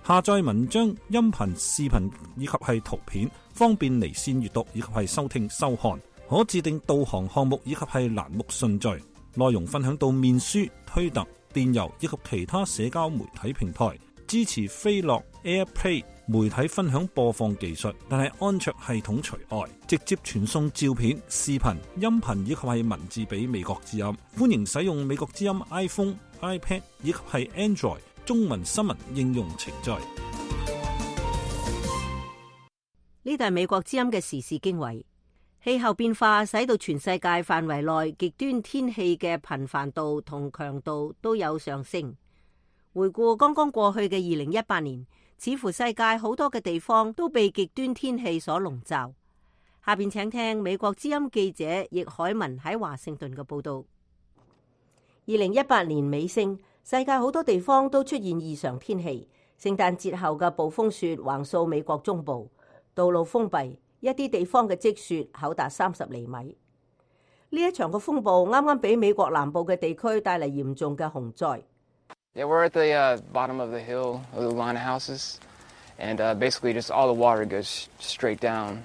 下載文章、音頻、視頻以及係圖片，方便離線閱讀以及係收聽收看。可自定導航項目以及係欄目順序。內容分享到面書、推特、電郵以及其他社交媒體平台。支持飛樂 AirPlay 媒體分享播放技術，但係安卓系統除外。直接傳送照片、視頻、音頻以及係文字俾美國之音。歡迎使用美國之音 iPhone、iPad 以及係 Android 中文新聞應用程序。呢度係美國之音嘅時事經緯。氣候變化使到全世界範圍內極端天氣嘅頻繁度同強度都有上升。回顧剛剛過去嘅二零一八年，似乎世界好多嘅地方都被極端天氣所籠罩。下邊請聽美國之音記者易海文喺華盛頓嘅報道。二零一八年尾聲，世界好多地方都出現異常天氣。聖誕節後嘅暴風雪橫掃美國中部，道路封閉，一啲地方嘅積雪厚達三十厘米。呢一場嘅風暴啱啱俾美國南部嘅地區帶嚟嚴重嘅洪災。Yeah, we're at the uh, bottom of the hill of the line of houses, and uh, basically just all the water goes straight down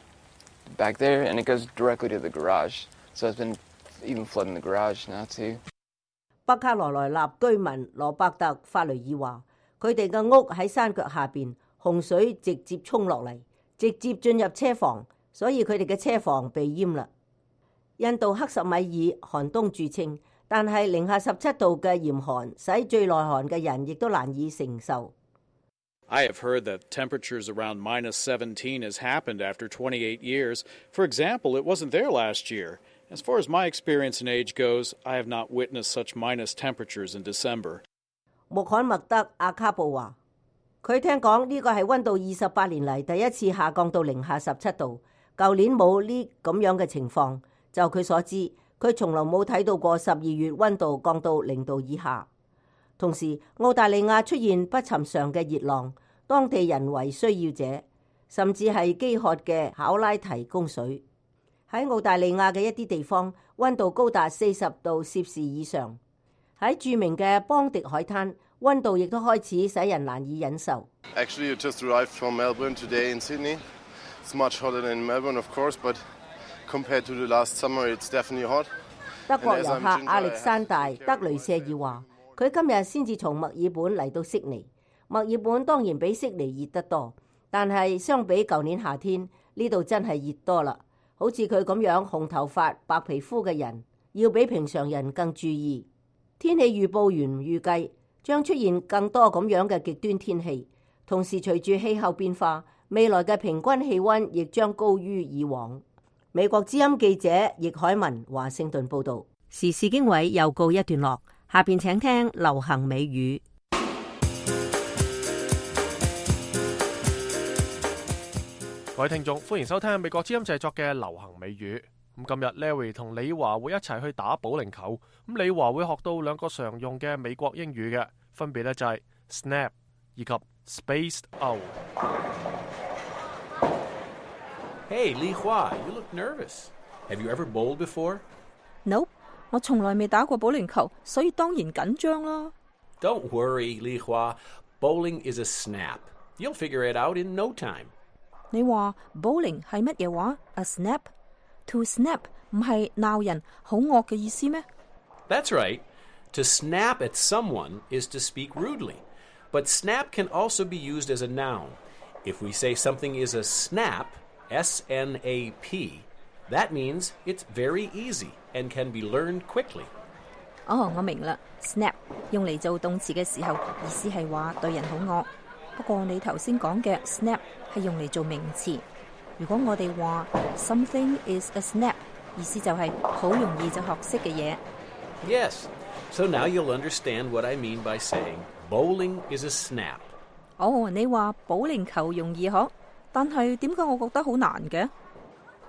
back there, and it goes directly to the garage. So it's been even flooding the garage now too. 北卡羅來納居民羅伯特法雷爾話，佢哋嘅屋喺山腳下邊，洪水直接衝落嚟，直接進入車房，所以佢哋嘅車房被淹啦。印度克什米爾寒冬著稱。但係零下十七度嘅嚴寒，使最耐寒嘅人亦都難以承受。I have heard that temperatures around minus seventeen has happened after twenty-eight years. For example, it wasn't there last year. As far as my experience in age goes, I have not witnessed such minus temperatures in December. 穆罕默德阿卡布話，佢聽講呢個係溫度二十八年嚟第一次下降到零下十七度，舊年冇呢咁樣嘅情況。就佢所知，佢從來冇睇到過十二月溫度降到零度以下。同時，澳大利亞出現不尋常嘅熱浪，當地人為需要者，甚至係飢渴嘅考拉提供水。喺澳大利亞嘅一啲地方，溫度高達四十度攝氏以上。喺著名嘅邦迪海灘，溫度亦都開始使人難以忍受。Actually, you just arrived from Melbourne today in Sydney. It's much hotter than in Melbourne, of course, but compared to the last summer, it's definitely hot. 德國遊客亞歷山大·德雷舍爾話，佢今日先至從墨爾本嚟到悉尼。墨爾本當然比悉尼熱得多，但係相比舊年夏天，呢度真係熱多啦。好似佢咁樣紅頭髮、白皮膚嘅人，要比平常人更注意。天氣預報員預計將出現更多咁樣嘅極端天氣，同時隨住氣候變化，未來嘅平均氣溫亦將高於以往。美國之音記者易海文華盛頓報道。時事經緯又告一段落，下邊請聽流行美語。各位聽眾，歡迎收聽美國之音製作嘅流行美語。咁今日 Larry 同李華會一齊去打保齡球。咁李華會學到兩個常用嘅美國英語嘅，分別咧就係 snap 以及 Spaced out. Hey, Li Hua, you look nervous. Have you ever bowled before? Nope, 我從來未打過保齡球，所以當然緊張啦。Don't worry, Li Hua. Bowling is a snap. You'll figure it out in no time. 你話 bowling 係乜嘢話 ？A snap? To snap 唔係鬧人好惡嘅意思咩？ That's right. To snap at someone is to speak rudely. But snap can also be used as a noun. If we say something is a snap, S N A P, that means it's very easy and can be learned quickly. 哦，我明啦。Snap 用嚟做動詞嘅時候，意思係話對人好惡。不過你頭先講嘅 snap 係用嚟做名詞。如果我哋話 something is a snap， 意思就係好容易就學識嘅嘢。Yes. So now you'll understand what I mean by saying bowling is a snap. 哦，你話保齡球容易學，但係點解我覺得好難嘅？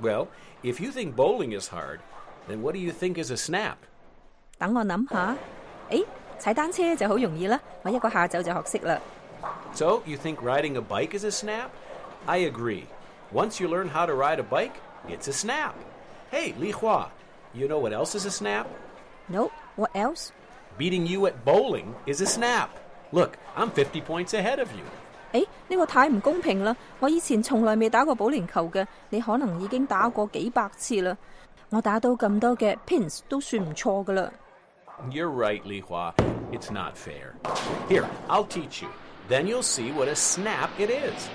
Well, if you think bowling is hard, then what do you think is a snap? 等我諗下，誒，踩單車就好容易啦，我一個下晝就學識啦。So, you think riding a bike is a snap? I agree. Once you learn how to ride a bike, it's a snap. Hey, Li Hua, you know what else is a snap? No, what else? Beating you at bowling is a snap. Look, I'm fifty points ahead of you. 誒，呢個太唔公平啦！我以前從來未打過保齡球嘅，你可能已經打過幾百次啦。我打到咁多嘅 pins 都算唔錯噶啦。You're right, Li Hua. It's not fair. Here, I'll teach you. Then you'll see what a snap it is.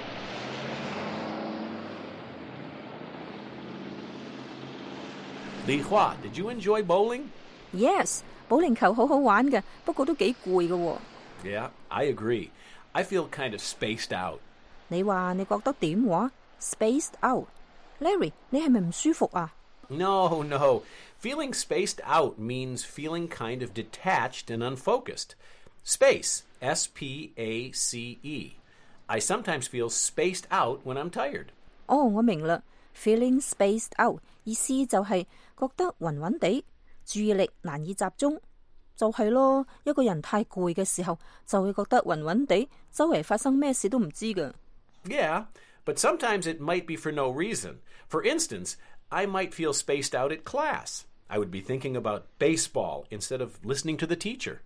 Li Hua, did you enjoy bowling? Yes, 保齡球好好玩嘅，不過都幾攰嘅喎。Yeah, I agree. I feel kind of spaced out. 你話你覺得點話 ？Spaced out. Larry, 你係咪唔舒服啊？ No, no. Feeling spaced out means feeling kind of detached and unfocused. Space, S P A C E. I sometimes feel spaced out when I'm tired. 哦，我明啦。Feeling spaced out 意思就係覺得暈暈地，注意力難以集中。就係咯，一個人太攰嘅時候，就會覺得暈暈地，周圍發生咩事都唔知㗎。Yeah, but sometimes it might be for no reason. For instance, I might feel spaced out at class. I would be thinking about baseball instead of listening to the teacher.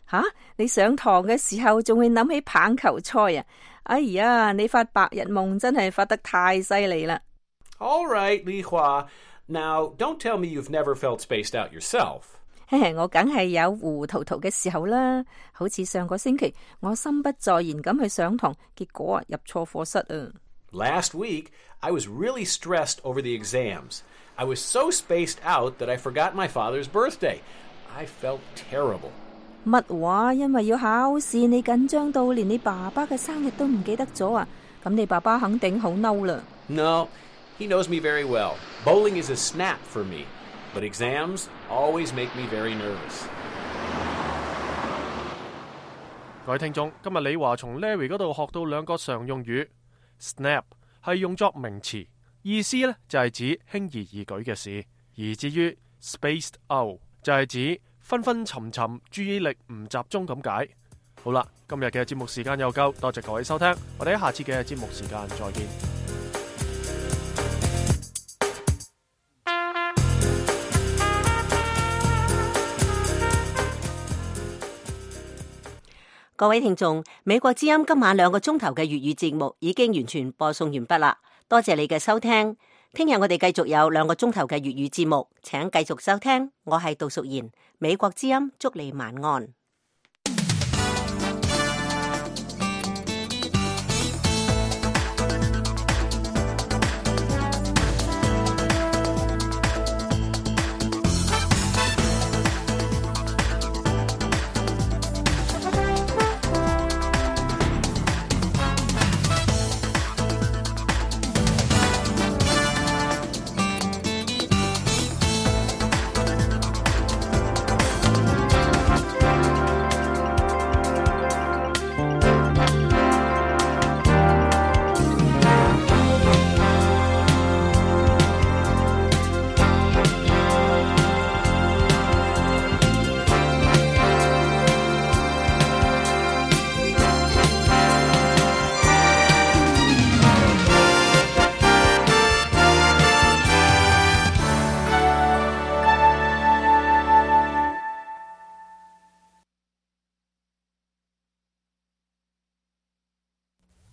吓，你上堂嘅時候仲會諗起棒球賽啊！哎呀，你發白日夢真係發得太犀利啦！ All right, Li Hua. Now, don't tell me you've never felt spaced out yourself. 我梗係有糊塗塗嘅時候啦，好似上個星期我心不在焉咁去上堂，結果啊入錯課室啊。Last week, I was really stressed over the exams. I was so spaced out that I forgot my father's birthday. I felt terrible. 乜話？因為要考試，你緊張到連你爸爸嘅生日都唔記得咗啊？咁你爸爸肯定好嬲啦。No, he knows me very well. Bowling is a snap for me, but exams always make me very nervous. 各位聽眾，今日李華從 Larry 嗰度學到兩個常用語 ，snap 係用作名詞，意思呢就係指輕而易舉嘅事；而至於 spaced out 就係指昏昏沉沉，注意力唔集中咁解。好啦，今日嘅節目時間又夠，多謝各位收聽，我哋喺下次嘅節目時間再見。各位聽眾，美國之音今晚兩個鐘頭嘅粵語節目已經完全播送完畢啦，多謝你嘅收聽。聽日我哋繼續有兩個鐘頭嘅粵語節目，請繼續收聽。我係杜淑賢，美國之音，祝你晚安。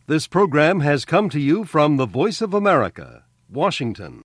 This program has come to you from the Voice of America, Washington.